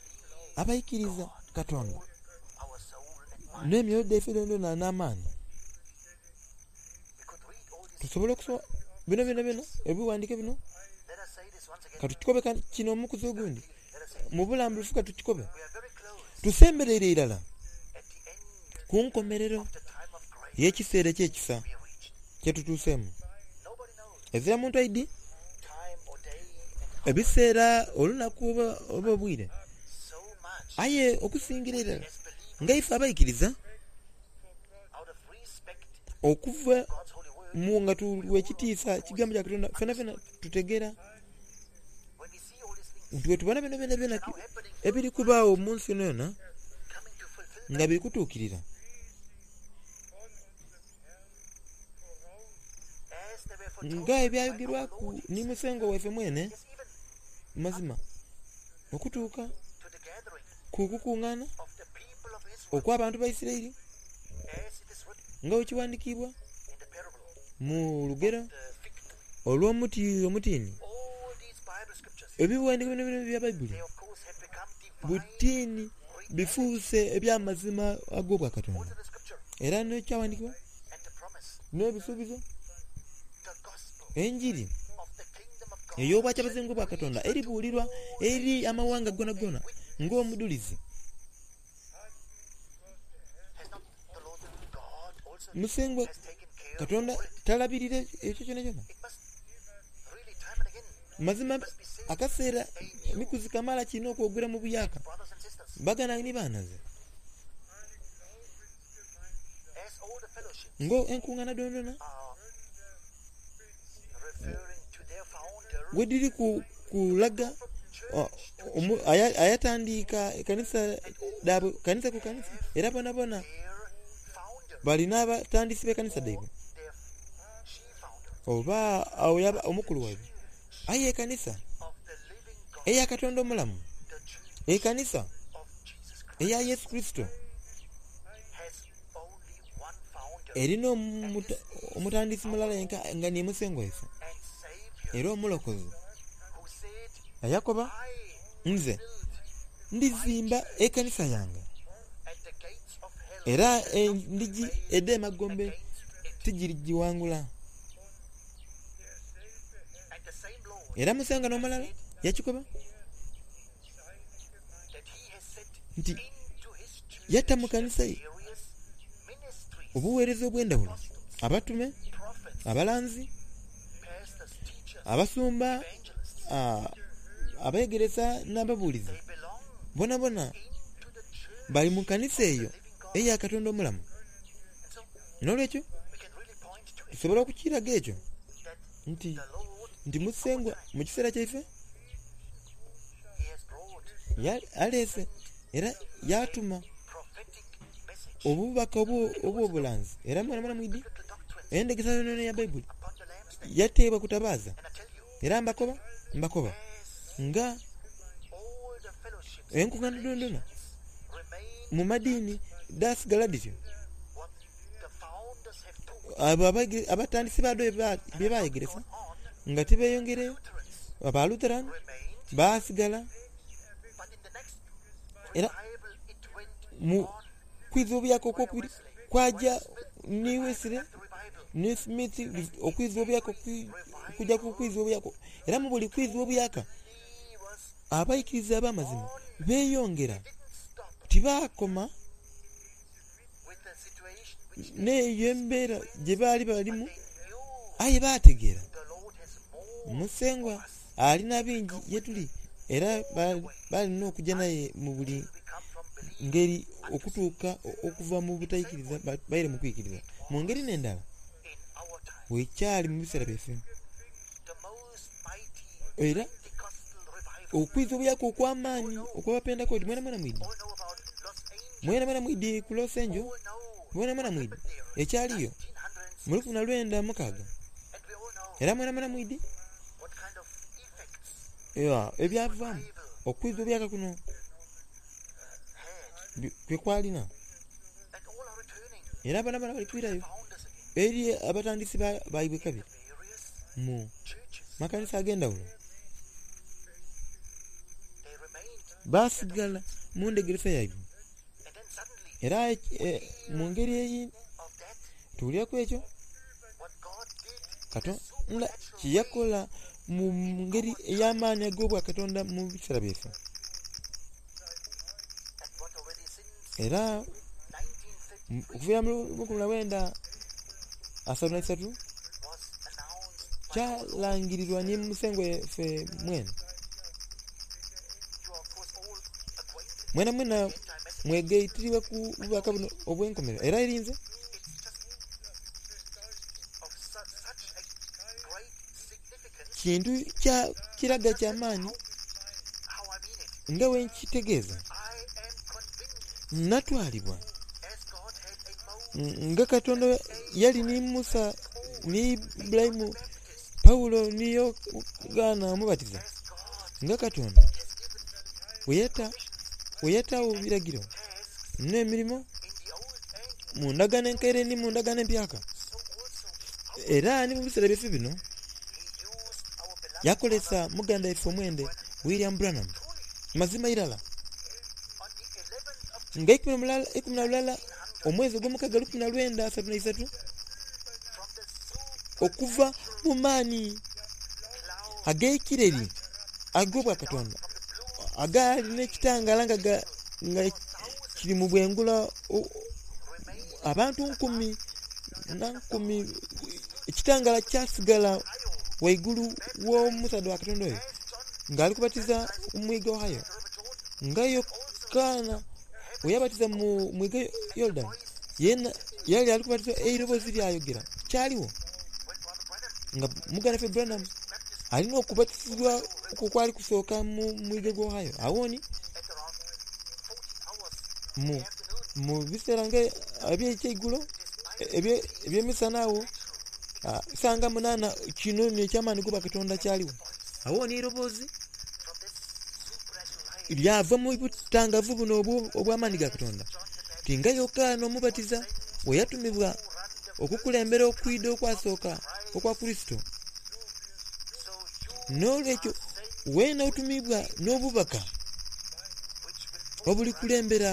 abaikiriza Katonda
our soul and mind.
n'emyoyo gyaffe gyonna n'amaanyi
We could read all these.
tusobole okusoma bino byonna byonna ebiwandiike bino
Let us say this once again.
katukikobe ka- kino omukuzi ogundi
Let us say
mu bulambulufu katukikobe
we are very close
tusemberere irala
at the end
ku nkomerero
of the time of grace
y'ekiseera eky'ekisa
we reached.
kye tutuuseemu
Nobody knows
ezira muntu aidi
time or day and
ebiseera olunaku oba oba obwire
so much
aye okusingira irala
as believers
nga ife abaikiriza
out of respect
okuva
God's holy word
mu nga tuwa ekitiisa ekigambo kya Katonda fena fena tutegeera
when we see all these things
nti wetubona bino byona byona
now happening
ebiri kubaawo mu nsi yona yona
coming to fulfillment
nga biri kutuukirira
as they were foretold
nga
by our
ebyayogerwaku
Lord
ni musengo waife mwene
yes even
mazima okutuuka
to the gathering
ku kukuŋŋaana
of the people of Israel
okw'abantu ba Isirayiri
as it is written
nga bwe kiwandiikibwa
in the parable
mu lugero
the
Olw'omuti omutiini,
All these Bible scriptures,
ebiwandiiko bino bino bya Bayibuli
they of course have become divine
butiini bifuuse eby'amazima ag'obwakatonda.
Also the scripture
Era n'ekyawandiikibwa
and the promise,
n'ebisuubizo,
the gospel
enjiri
of the kingdom of God
ey'obwakyabazinga bwa Katonda eribuulirwa eri amawanga gonagona ng'omudulizi.
has not the Lord God also
Musengwa
has taken care of
Katonda
all it.
talabirira ekyo kyona kyona.
It must really time and again,
Mazima akaseera mikuzi kamala kirina okwogera mu buyaka.
brothers and sisters,
Bagana ni baanaze
as all the fellowships
ngo enkuŋŋaana dondona
are referring to their founder
wediri ku kulaga
from church
o- omu- aya- ayatandiika ekanisa daabwe kanisa ku kanisa era bona bona
their founder
balina abatandisi b'ekanisa daibwe
their chief founder
oba awo yaba omukulu waibwe. Aye ekanisa
of the living God,
eya Katonda omulamu,
the church
ekanisa
of Jesus Christ
eya Yesu Kristo
has only one founder
erina omuta- omutandisi mulala yenka nga ni Musengwa waife
and Savior
era omulokozi
who said,
ayakoba
I
nze
build
ndizimba ekanisa yange
and the gates of hell
era
shall not
endigi
prevail
ed'emagombe
against it.
tigirigiwangula.
And the same Lord
Era Musengwa n'omulala yakikoba
that he has set
nti
into his church
yatta mu kanisa ye
various ministries,
obuweereza obw'endawulo, abatume,
prophets,
abalanzi,
pastors, teachers,
abasumba,
evangelists.
ah, abeegeresa n'ababuulizi
They belong
bona bona
into the church
bali mu kanisa eyo
of the living God.
eya Katonda omulamu.
And so
N'olwekyo
we can really point to it
tusobola okukiraga ekyo
that
nti
the Lord
nti Musengwa mu kiseera kyaife
he has brought
ya- aleese era yatuma
prophetic message,
obubaka obwo- obw'obulanzi era mwana mwana mwidi
biblical doctrines
endegesa yonayona ya Bayibuli
upon the lampstand.
yateebwa kutabaaza.
And I tell you,
Era mbakoba mbakoba
as
nga
all the fellowships
enkuŋŋaana dondona
remain
mu madiini dasigala dityo
what the founders have taught
abo abage- abatandisi baado bye bye baayegeresa
on,
nga tebeeyongereyo
Lutherans
aba Lutheran
remained,
baasigala
but in the next
era
revival it went
mu
on.
kwiza obuyaka okwokubiri kwaja ni Wesley
The revival
ne Smith okwiza obuyaka okwi- okujja ku kwiza obuyaka era mu buli kwiza obuyaka
he was
abayikiriza ab'amazima beeyongera
didn't stop
tibaakoma
with the situation which
n'eyo embeera gye baali balimu
they knew
aye baategeera
the Lord has more
Musengwa alina bingi ye tuli era ba- balina okujja naye mu buli
we come from belief
ngeri okutuuka o- okuva mu butayikiriza ba- baire mu kuyikiriza. Mu ngeri n'endala
in our time.
wekyali mu biseera byaffe
The most mighty
era
Pentecostal revival.
okwiza obuyaka okw'amaanyi okw'abapentekooti mwena mwena mwidi
All know about Los Angeles.
mwena mwena mwidi ku Los Angeles
All know
mwena mwena mwidi
happened there.
ekyaliyo
nineteen
mu lukumi na lwenda mukaaga
And we all know
era mwena mwena mwidi
what kind of effects
ewa, ebyavaamu
revival
okwiza obuyaka kuno
had.
bi- kwe kwalina
And all are returning
era abaana bana bali kwirayo
founders again.
eri abatandisi ba- baibwe kabiri
Various
mu
churches.
makanisa ag'endawulo
They remained.
baasigala mu ndegeresa yaibwe
And then suddenly
era eh, mu ngeri eyi
of that,
tuwuliraku ekyo
what God did
Katonda kye yakola mu ngeri ey'amaanyi ag'obwakatonda mu biseera byaffe
and what already since
era
nineteen thirty
mu- okuviira mu lukumi na lwenda asatu na isatu
was announced by our Lord.
kyalangirirwa ne Musengwa ffe mwene
You are of course all acquainted
mwena mwena
with the end time message.
mwegayitiriwe ku bubaka buno obw'enkomerero era erinze
It's just of su- such a great significance.
kintu kya kiraga ky'amaanyi
How I mean it.
nga bwe nkitegeeza
I am convinced
natwalibwa
as God had a Moses,
nga Katonda yali ni Musa ni Ibulayimu
Baptist,
Pawulo ni Yokaana omubatiza
as God
nga Katonda
has given
bwe yata bwe yataawo ebiragiro
tasks
n'emirimu
in the old and
mu ndagaano enkaire ni mu ndagaano empyaka
so also how
era ni mu biseera byaffe bino
he
Yakolesa muganda ife omwende William Branham mazima irala nga ikumi na lulala omwezi ogw'omukaga lukumi na lwenda asatu na isatu okuva mu maani ag'ekireri ag'obwakatonda agaali n'ekitangala nga, nga kiri mu bwengula abantu nkumi na nkumi. Ekitangala kyasigala waigulu w'omusaadha wa Katonda oyo ng'ali kubatiza mu mwiga Ohio, nga Yokaana bwe yabatiza mu mwiga Yorudani, yena yali ali kubatiza eiroboozi lyayogera. Kyaliwo nga muganda waffe Branham alina okubatizibwa okwo okwali kusooka mu mwiga gwa Ohio. Awoni mu mu biseera nga ebyekyeigulo eby'emisana agho sanga munaana, kino n'ekyamaani goba Katonda kyaliwo. Awoni eiroboozi lyava mu butangavu buno obw'amaani ga Katonda ti nga Yokaana Omubatiza bwe yatumibwa okukulembera okwidha okwasooka okwa Kurisito. N'olwekyo weena otumibwa n'obubaka obulikulembera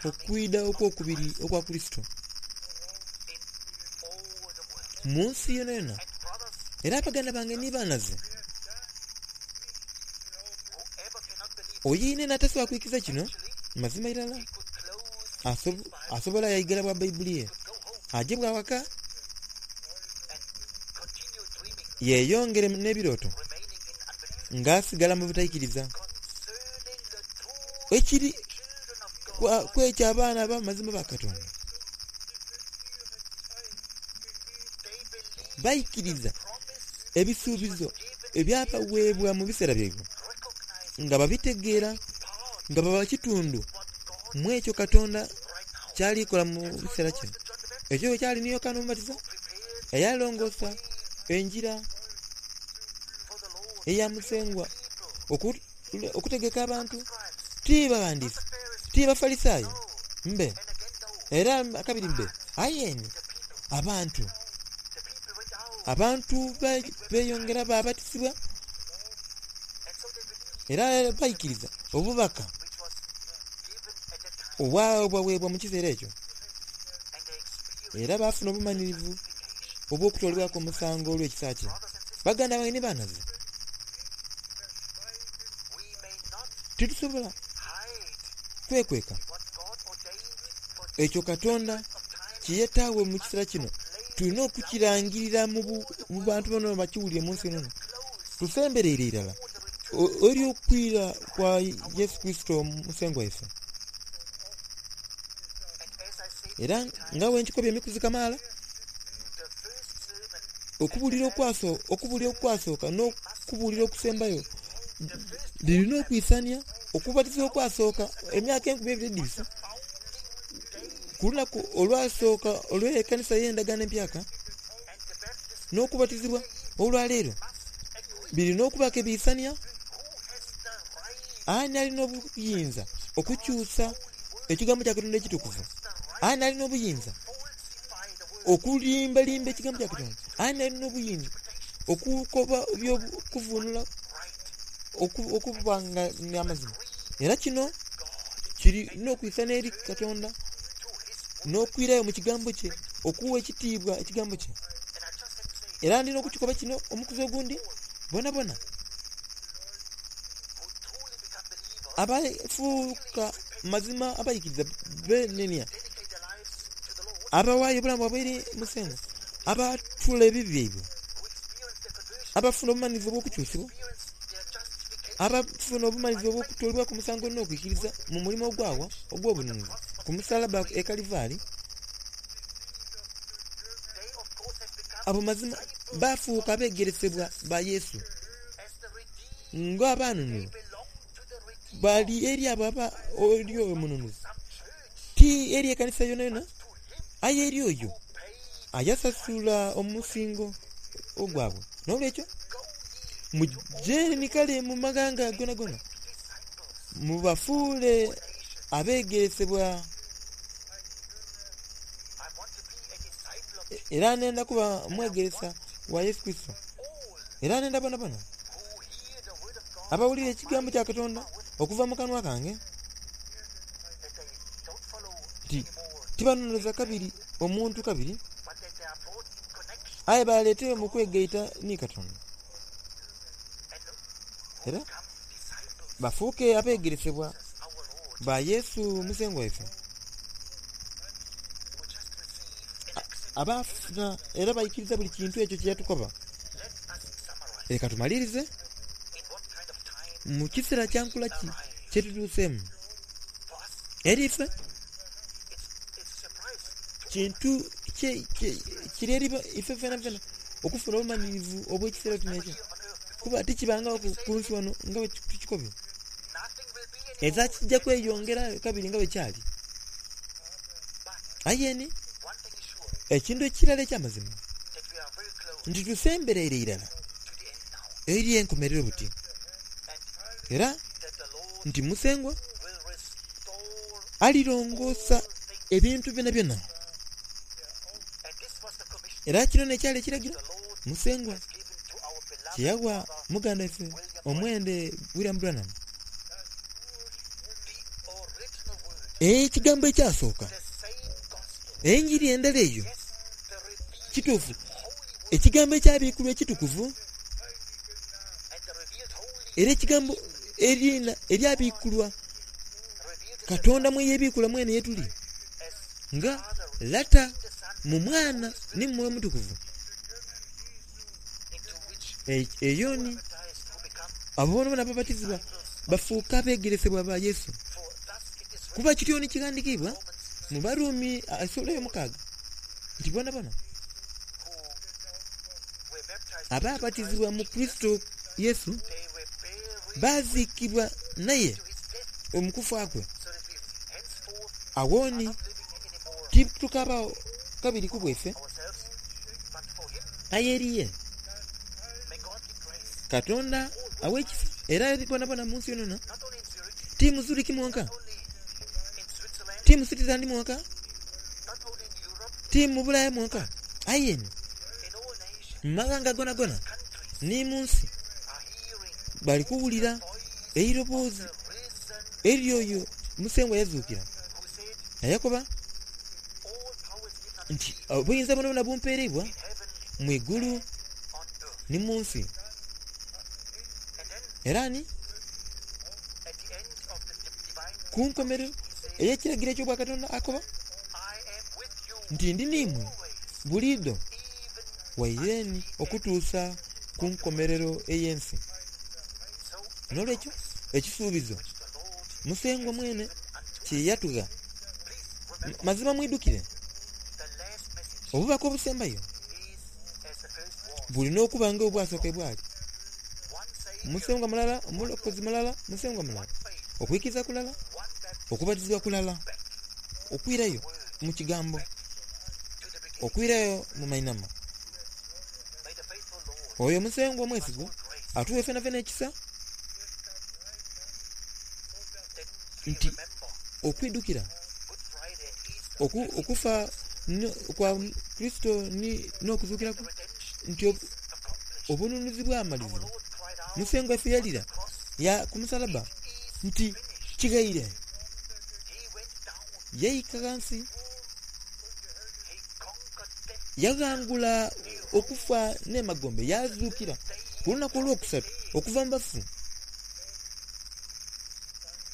okwidha okw'okubiri okwa Kurisito mu nsi yonayona. Era baganda bange ni banaze, oyo yenayena atasobola kwikiriza kino mazima irala asobola yaigala bwa Baibuli ye aje bwa waka yeyongere n'ebirooto ng'asigala mu butaikiriza. Ekiri kwekyo abaana ab'amazima ba Katonda baikiriza ebisuubizo ebyabaweebwa mu biseera byaibwe nga babitegeera, nga baba kitundu mu ekyo Katonda kyalikola mu kiseera kino. Ekyo bwe kyali ni Yokaana Omubatiza eyalongoosa engira eya Musengwa okutegeka abantu, ti baghandiisi, ti Bafalisaayo mbe, era akabiri mbe, aye ni abantu. Abantu beeyongera baabatizibwa era baikiriza obubaka obwabaweebwa mu kiseera ekyo, era baafuna obumanhirivu obw'okutoolebwaku omusango olw'ekisa kye. Baganda bange ni banaze, titusobola kwekweka ekyo Katonda kye yataagho mu kiseera kino. Tulina okukirangirira mu bantu boonaboona bakiwulire mu nsi yonayona. Tusembereire irala eri okwira kwa Yesu Kurisito Musengwa waife. Era nga bwe nkikobye emikuzi kamaala, okubuulira okwasooka n'okubuulira okusembayo lirina okwisania. Okubatiza okwasooka emyaka enkumi ebiri edhibise, ku lunaku olwasooka olw'ekanisa y'Endagaano Empyaka n'okubatizibwa olwaleero birina okubaaku ebiisania. Ani alina obuyinza okukyusa ekigambo kya Katonda ekitukuvu? Ani alina obuyinza okulimbalimba ekigambo kya Katonda? Ani alina obuyinza okukoba eby'okuvunula okuba nga n'amazima? Era kino kirina okwisana eri Katonda n'okwirayo mu kigambo kye, okuwa ekitiibwa ekigambo kye. Era ndina okukikoba kino omukuzi ogundi, bonabona abafuuka mazima abaikiriza benenia, abawaayo obulamu bwaibwe eri Musengwa, abatula ebibi byaibwe, abafuna obumanhirivu obw'okukyusibwa, abafuna obumanhirivu obw'okutoolebwaku omusango n'okwikiriza mu mulimo ogwawa ogw'obununuzi ku musalaba e Kalivari, abo mazima baafuuka abeegeresebwa ba Yesu ng'abanunulwa. Bali eri abo aba eri oyo omununuzi, ti eri ekanisa yonayona, aye eri oyo ayasasula omusingo ogwabwe. N'olwekyo muje ni kale mu maghanga gonagona mubafuule abeegeresebwa. Era nenda kuba mwegeresa wa Yesu Kurisito, era nenda bonabona Abawulira ekigambo kya Katonda okuva mu kanwa kange,
that they don't follow
nti
anymore,
tibanoneza kabiri omuntu kabiri,
but that they are brought in connection
aye baleeteyo mu kwegaita ni Katonda,
and
era
become disciples
bafuuke abeegeresebwa
of our Lord,
ba Yesu Musengwa waife,
who just receive and accept.
abafuna era baikiriza buli kintu ekyo kye yatukoba.
Let us summarize
Leka tumalirize
in what kind of time
mu kiseera kya nkula ki kye tutuuseemu.
for us
Eri ife
it's it's a surprise to
kintu kye- kye- kiri eri ife fena fena okufuna obumanyirivu obw'ekiseera kino ekyo,
here on earth before.
kuba tikibangawo ku ku nsi wano nga bwe tukikobye.
Nothing will be anymore.
Eza kijja kweyongera kabiri nga bwe kyali.
But
Aye ni
one thing is sure,
ekintu ekirala eky'amazima
that we are very close
nti tusembereire irala
to the end now,
eri enkomerero buti,
and
era
that the Lord
nti Musengwa
will restore
alirongoosa
all things.
ebintu byonna byonna.
And this was the commission
Era kino nekyali ekiragiro
the Lord
Musengwa
has given to our beloved
kye yawa
brother
muganda waffe omwende William Branham.
the original word,
Ekigambo ekyasooka,
the same gospel.
enjiri endala eyo,
Yes, the revealed
kituufu,
holy word
ekigambo ekyabiikulwa ekitukuvu,
and the revealed holy
era ekigambo erina eryabiikulwa
revealed in the
Katonda mwe yeebiikula mwene ye tuli,
as
nga
Father,
Lata
the Son,
mu Mwana ne mu Mwoyo Mutukuvu.
into which
E- Eyo ni
baptized who become
abo boona ababatizibwa bafuuka abeegeresebwa ba Yesu.
for thus it is written
Kuba kityo ni kigandikiibwa
Romans
mu Baruumi essuula ey'omukaaga nti bona bona
who were baptized into
abaabatizibwa mu
Christ
Kristo Yesu
Jesus, they were buried
baaziikibwa naye
to his death,
omu kufa kwe.
so that we henceforth
Awo
are
ni
not living anymore
titukabaawo kabiri ku bweffe,
ourselves, but for him.
aye eri ye
May God give grace,
Katonda aw'ekisa era eri bonabona mu nsi yonona,
not only in Zurich,
ti mu Zuriki mwonka,
not only in Switzerland,
ti mu Switzerland mwonka,
not only in Europe,
ti mu Bulaaya mwonka, aye ni
in all nations,
mu maghanga gonagona
countries
ni mu nsi
are hearing
bali kuwulira
voice
eiroboozi
the risen
eryoyo Musengwa yazuukira
who said,
nayakoba
all power is given unto
nti
me
obuyinza bwona bumpeereibwa
in heaven
mu igulu
on earth.
ni mu nsi.
And then
Era ni
at the end of the divine
ku nkomerero ey'ekiragiro eky'obwakatonda akoba
I am with you
nti ndi niimwe
always,
buliido
even
waireni okutuusa ku nkomerero ey'ensi.
so
N'olwekyo ekisuubizo
which the Lord
Musengwa mwene
unto
kye yatugha,
Please remember
mazima mwidukire
the last message
obubaka obusembayo
is as the first was.
bulina okuba nga obwasooka bwali.
One Savior,
Musengwa mulala, omulokozi mulala, Musengwa mulala,
one faith,
okuyikiriza kulala,
one baptism
okubatizibwa kulala, okwirayo mu kigambo,
to the beginning.
okwirayo mu mainama.
May the faithful Lord
Oyo Musengwa omwesigwa
all grace
atuwe fenafena ekisa
that we
nti
remember
okwidukira
Good Friday and Easter
oku, okufa no- kwa Kristo ni n'okuzuukira
the
kwe
redemption
nti obu-
is accomplished.
obununuzi
Our
bwamalizibwa.
Lord cried out
Musengwa waffe yalira
cross
ya ku musalaba
is
nti
finished.
kigaire.
He went down.
Yayika ghansi
He conquered death.
yaghangula okufa n'emagombe yazuukira ku lunaku olwokusatu okuva mu bafu.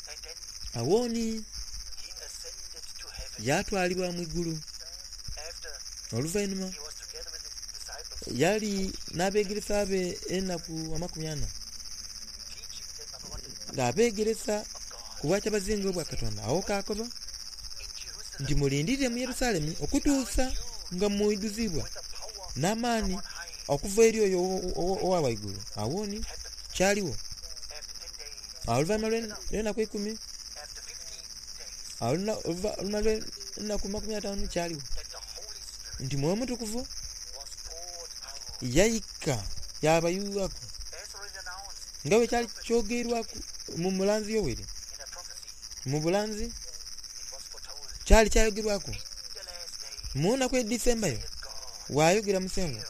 And then
Awooni
he ascended to heaven
yatwalibwa mu igulu.
after
Oluvannyuma
he was together with his disciples,
yali n'abeegeresa be ennaku amakumi ana
teaching them about the
ng'abeegeresa
of God
ku bwakyabazinga obwa Katonda. Awo kaakoba
in Jerusalem
nti mulindirire mu Yerusaalemi okutuusa nga mwiduzibwa
with the power
n'amaanyi
on high.
okuva eri oyo owo- owo- owa waggulu. Awooni kyaliwo
After ten days,
oluvannyuma lw'en- lw'ennaku ekumi,
after fifty days,
oluna- oluva- oluvannyuma lw'ennaku makumi ataano kyaliwo
that the Holy Spirit
nti Mwoyo Mutukuvu
was poured out.
yayika yabayuwako
As already announced
nga bwe kyali kyogerwaku mu mulanzi Yoweri.
in a prophecy,
Mu bulanzi
it was foretold
kyali kyayogerwako
in the last days,
mu nnaku edisembayo
saith God,
waayogera Musengwa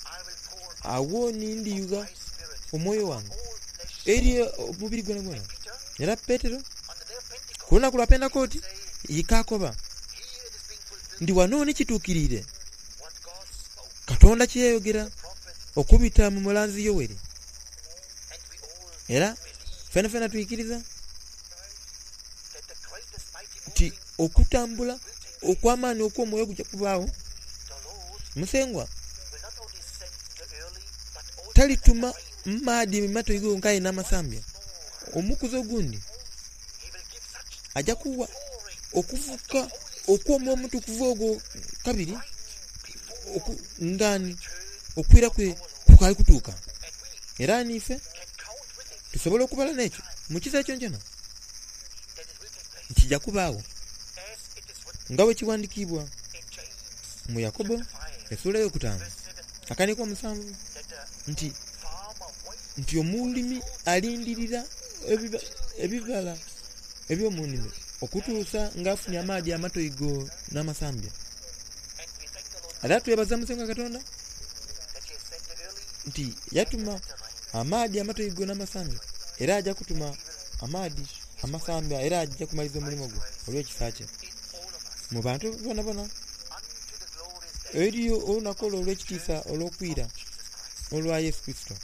I will pour out
awo ni ndiyugha
my spirit
omwoyo wange
all flesh,
Eri omubiri gwonagwona. Era Petero ku lunaku lwa Pentekooti yikaakoba nti wano ni kituukiriire Katonda kye yayogera okubita mu mulanzi Yoweri. Era fenafena twikiriza nti okutambula okw'amaani okw'omwoyo kuja kubaagho. Musengwa talituma maadhi matoigo gonka aye n'amasambya. Omukuzi ogundi aja kuwa okufuka okw'omwoyo omutukuvu ogwo kabiri ngani okwira kwe kukaali kutuuka. Era niife tusobola okubala n'ekyo mu kiseera kyonakyona kija kubaagho nga bwe kiwandikiibwa mu Yakobo esula eyokutaanu akaniiko omusanvu nti nti omulimi alindirira ebibala eby'omunhimiro okutuusa nga afunye amaadhi amatoigo n'amasambya. Era twebaza Musengwa Katonda nti yatuma amaadhi amatoigo n'amasambya era aja kutuma amaadhi amasambya era aja kumaliriza omulimo gwe olw'ekisa kye mu bantu bonabona. Eriyo olunaku olwo olw'ekitiisa olw'okwira olwa Yesu Kurisito.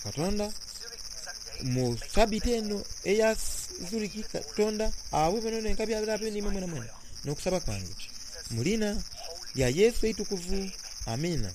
Katonda mu sabiti eno eya Zuriki, Katonda awe bwenebwene enkabi abe n'imwe mwenamwena n'okusaba kwange mu liina lya Yesu eitukuvu. Amiina.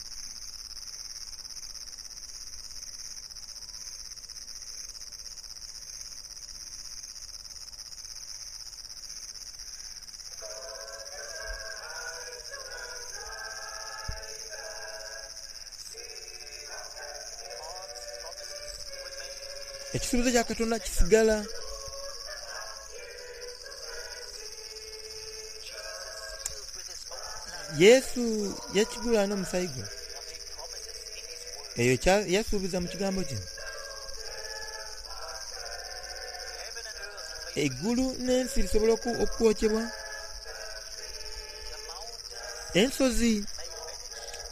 Ekisuubizo kya Katonda kisigala. Yesu yakigula n'omusaayi gwe. Eyo yasuubiza mu kigambo kye. Eigulu n'ensi lisobola okwokyebwa, ensozi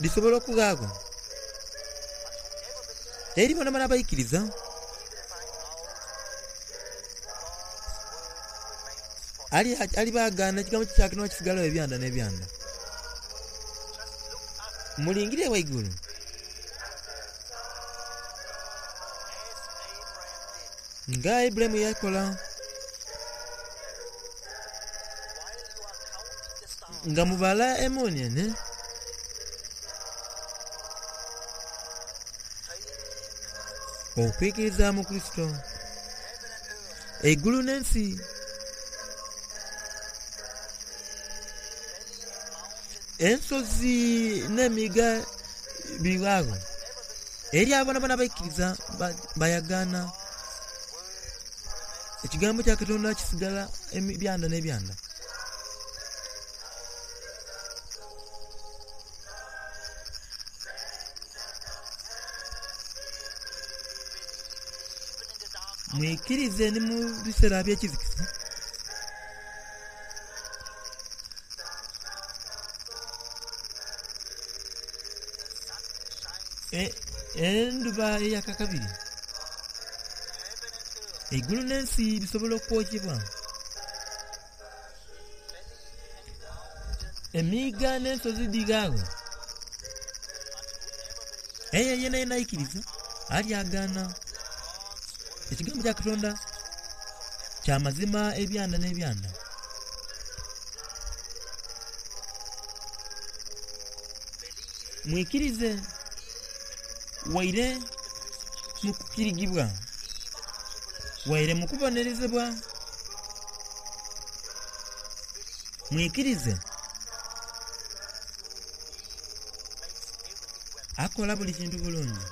dhisobola okughagho. Eri bonabona abaikiriza. Alibagaana ekigambo kye kya Katonda kisigalagho ebyanda n'ebyanda. Mulingirire ghaigulu. Nga Ibulayimu yakola. Nga mubala emuunienhe. Okwikiriza mu Kurisito. Eigulu n'ensi. Ensozi n'emiiga bighagho. Eri abo bonabona abaikiriza bayagaana. Ekigambo kya Katonda kisigala ebyanda n'ebyanda. Mwikirize ni mu biseera eby'ekizikiza. Endhuba eyaka kabiri. Eigulu n'ensi bisobola okwokyebwa. Emiiga n'ensozi dhighagho. Aye yenayena aikiriza alyagaana. Ekigambo kya Katonda kya mazima ebyanda n'ebyanda. Mwikirize waire mu kukirigibwa, waire mu kubonerezebwa. Mwikirize. Akola buli kintu bulungi.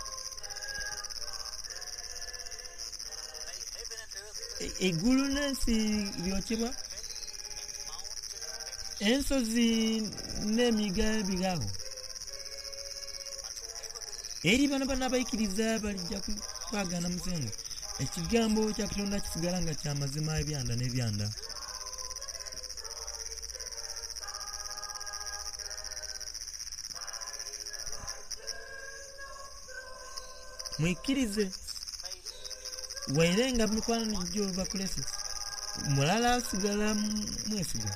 Eigulu n'ensi byokyebwa, ensozi n'emiiga bighagho. Eri bonabona abaikiriza balija kwagaana Musengwa. Ekigambo kya Katonda kisigala nga kya mazima ebyanda n'ebyanda. Mwikirize
may leave you.
Waire nga mikwano gyo bakulese, mulala asigala mwesigwa.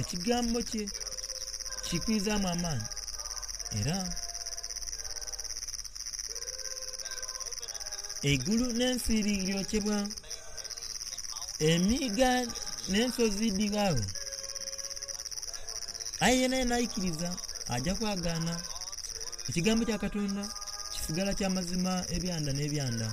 Ekigambo kye kikwizaamu amaanyi era eigulu n'ensi liryokyebwa, emiiga n'ensozi dhighaagho, aye yena yena aikiriza ajja kwagaana ekigambo kya Katonda kisigala kya mazima ebyanda n'ebyanda.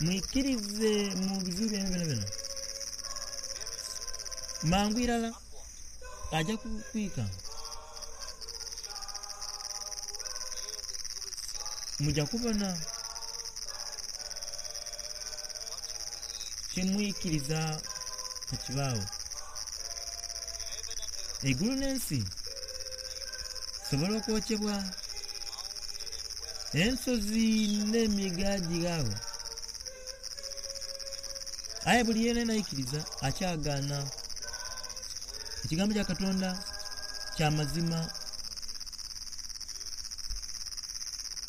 Mwikirize mu bizibu byaimwe byonabyona.
Very soon,
Mangu irala
upward.
ajja kukwika.
And you will see
Mujja kubona
what you believe.
kyemwikiriza tekibaawo.
Heaven and earth
Eigulu n'ensi sobola okwokyebwa,
may mountain and west
ensozi n'emiga gighaawo, aye buli yena aikiriza akyagaana. Ekigambo kya Katonda kya mazima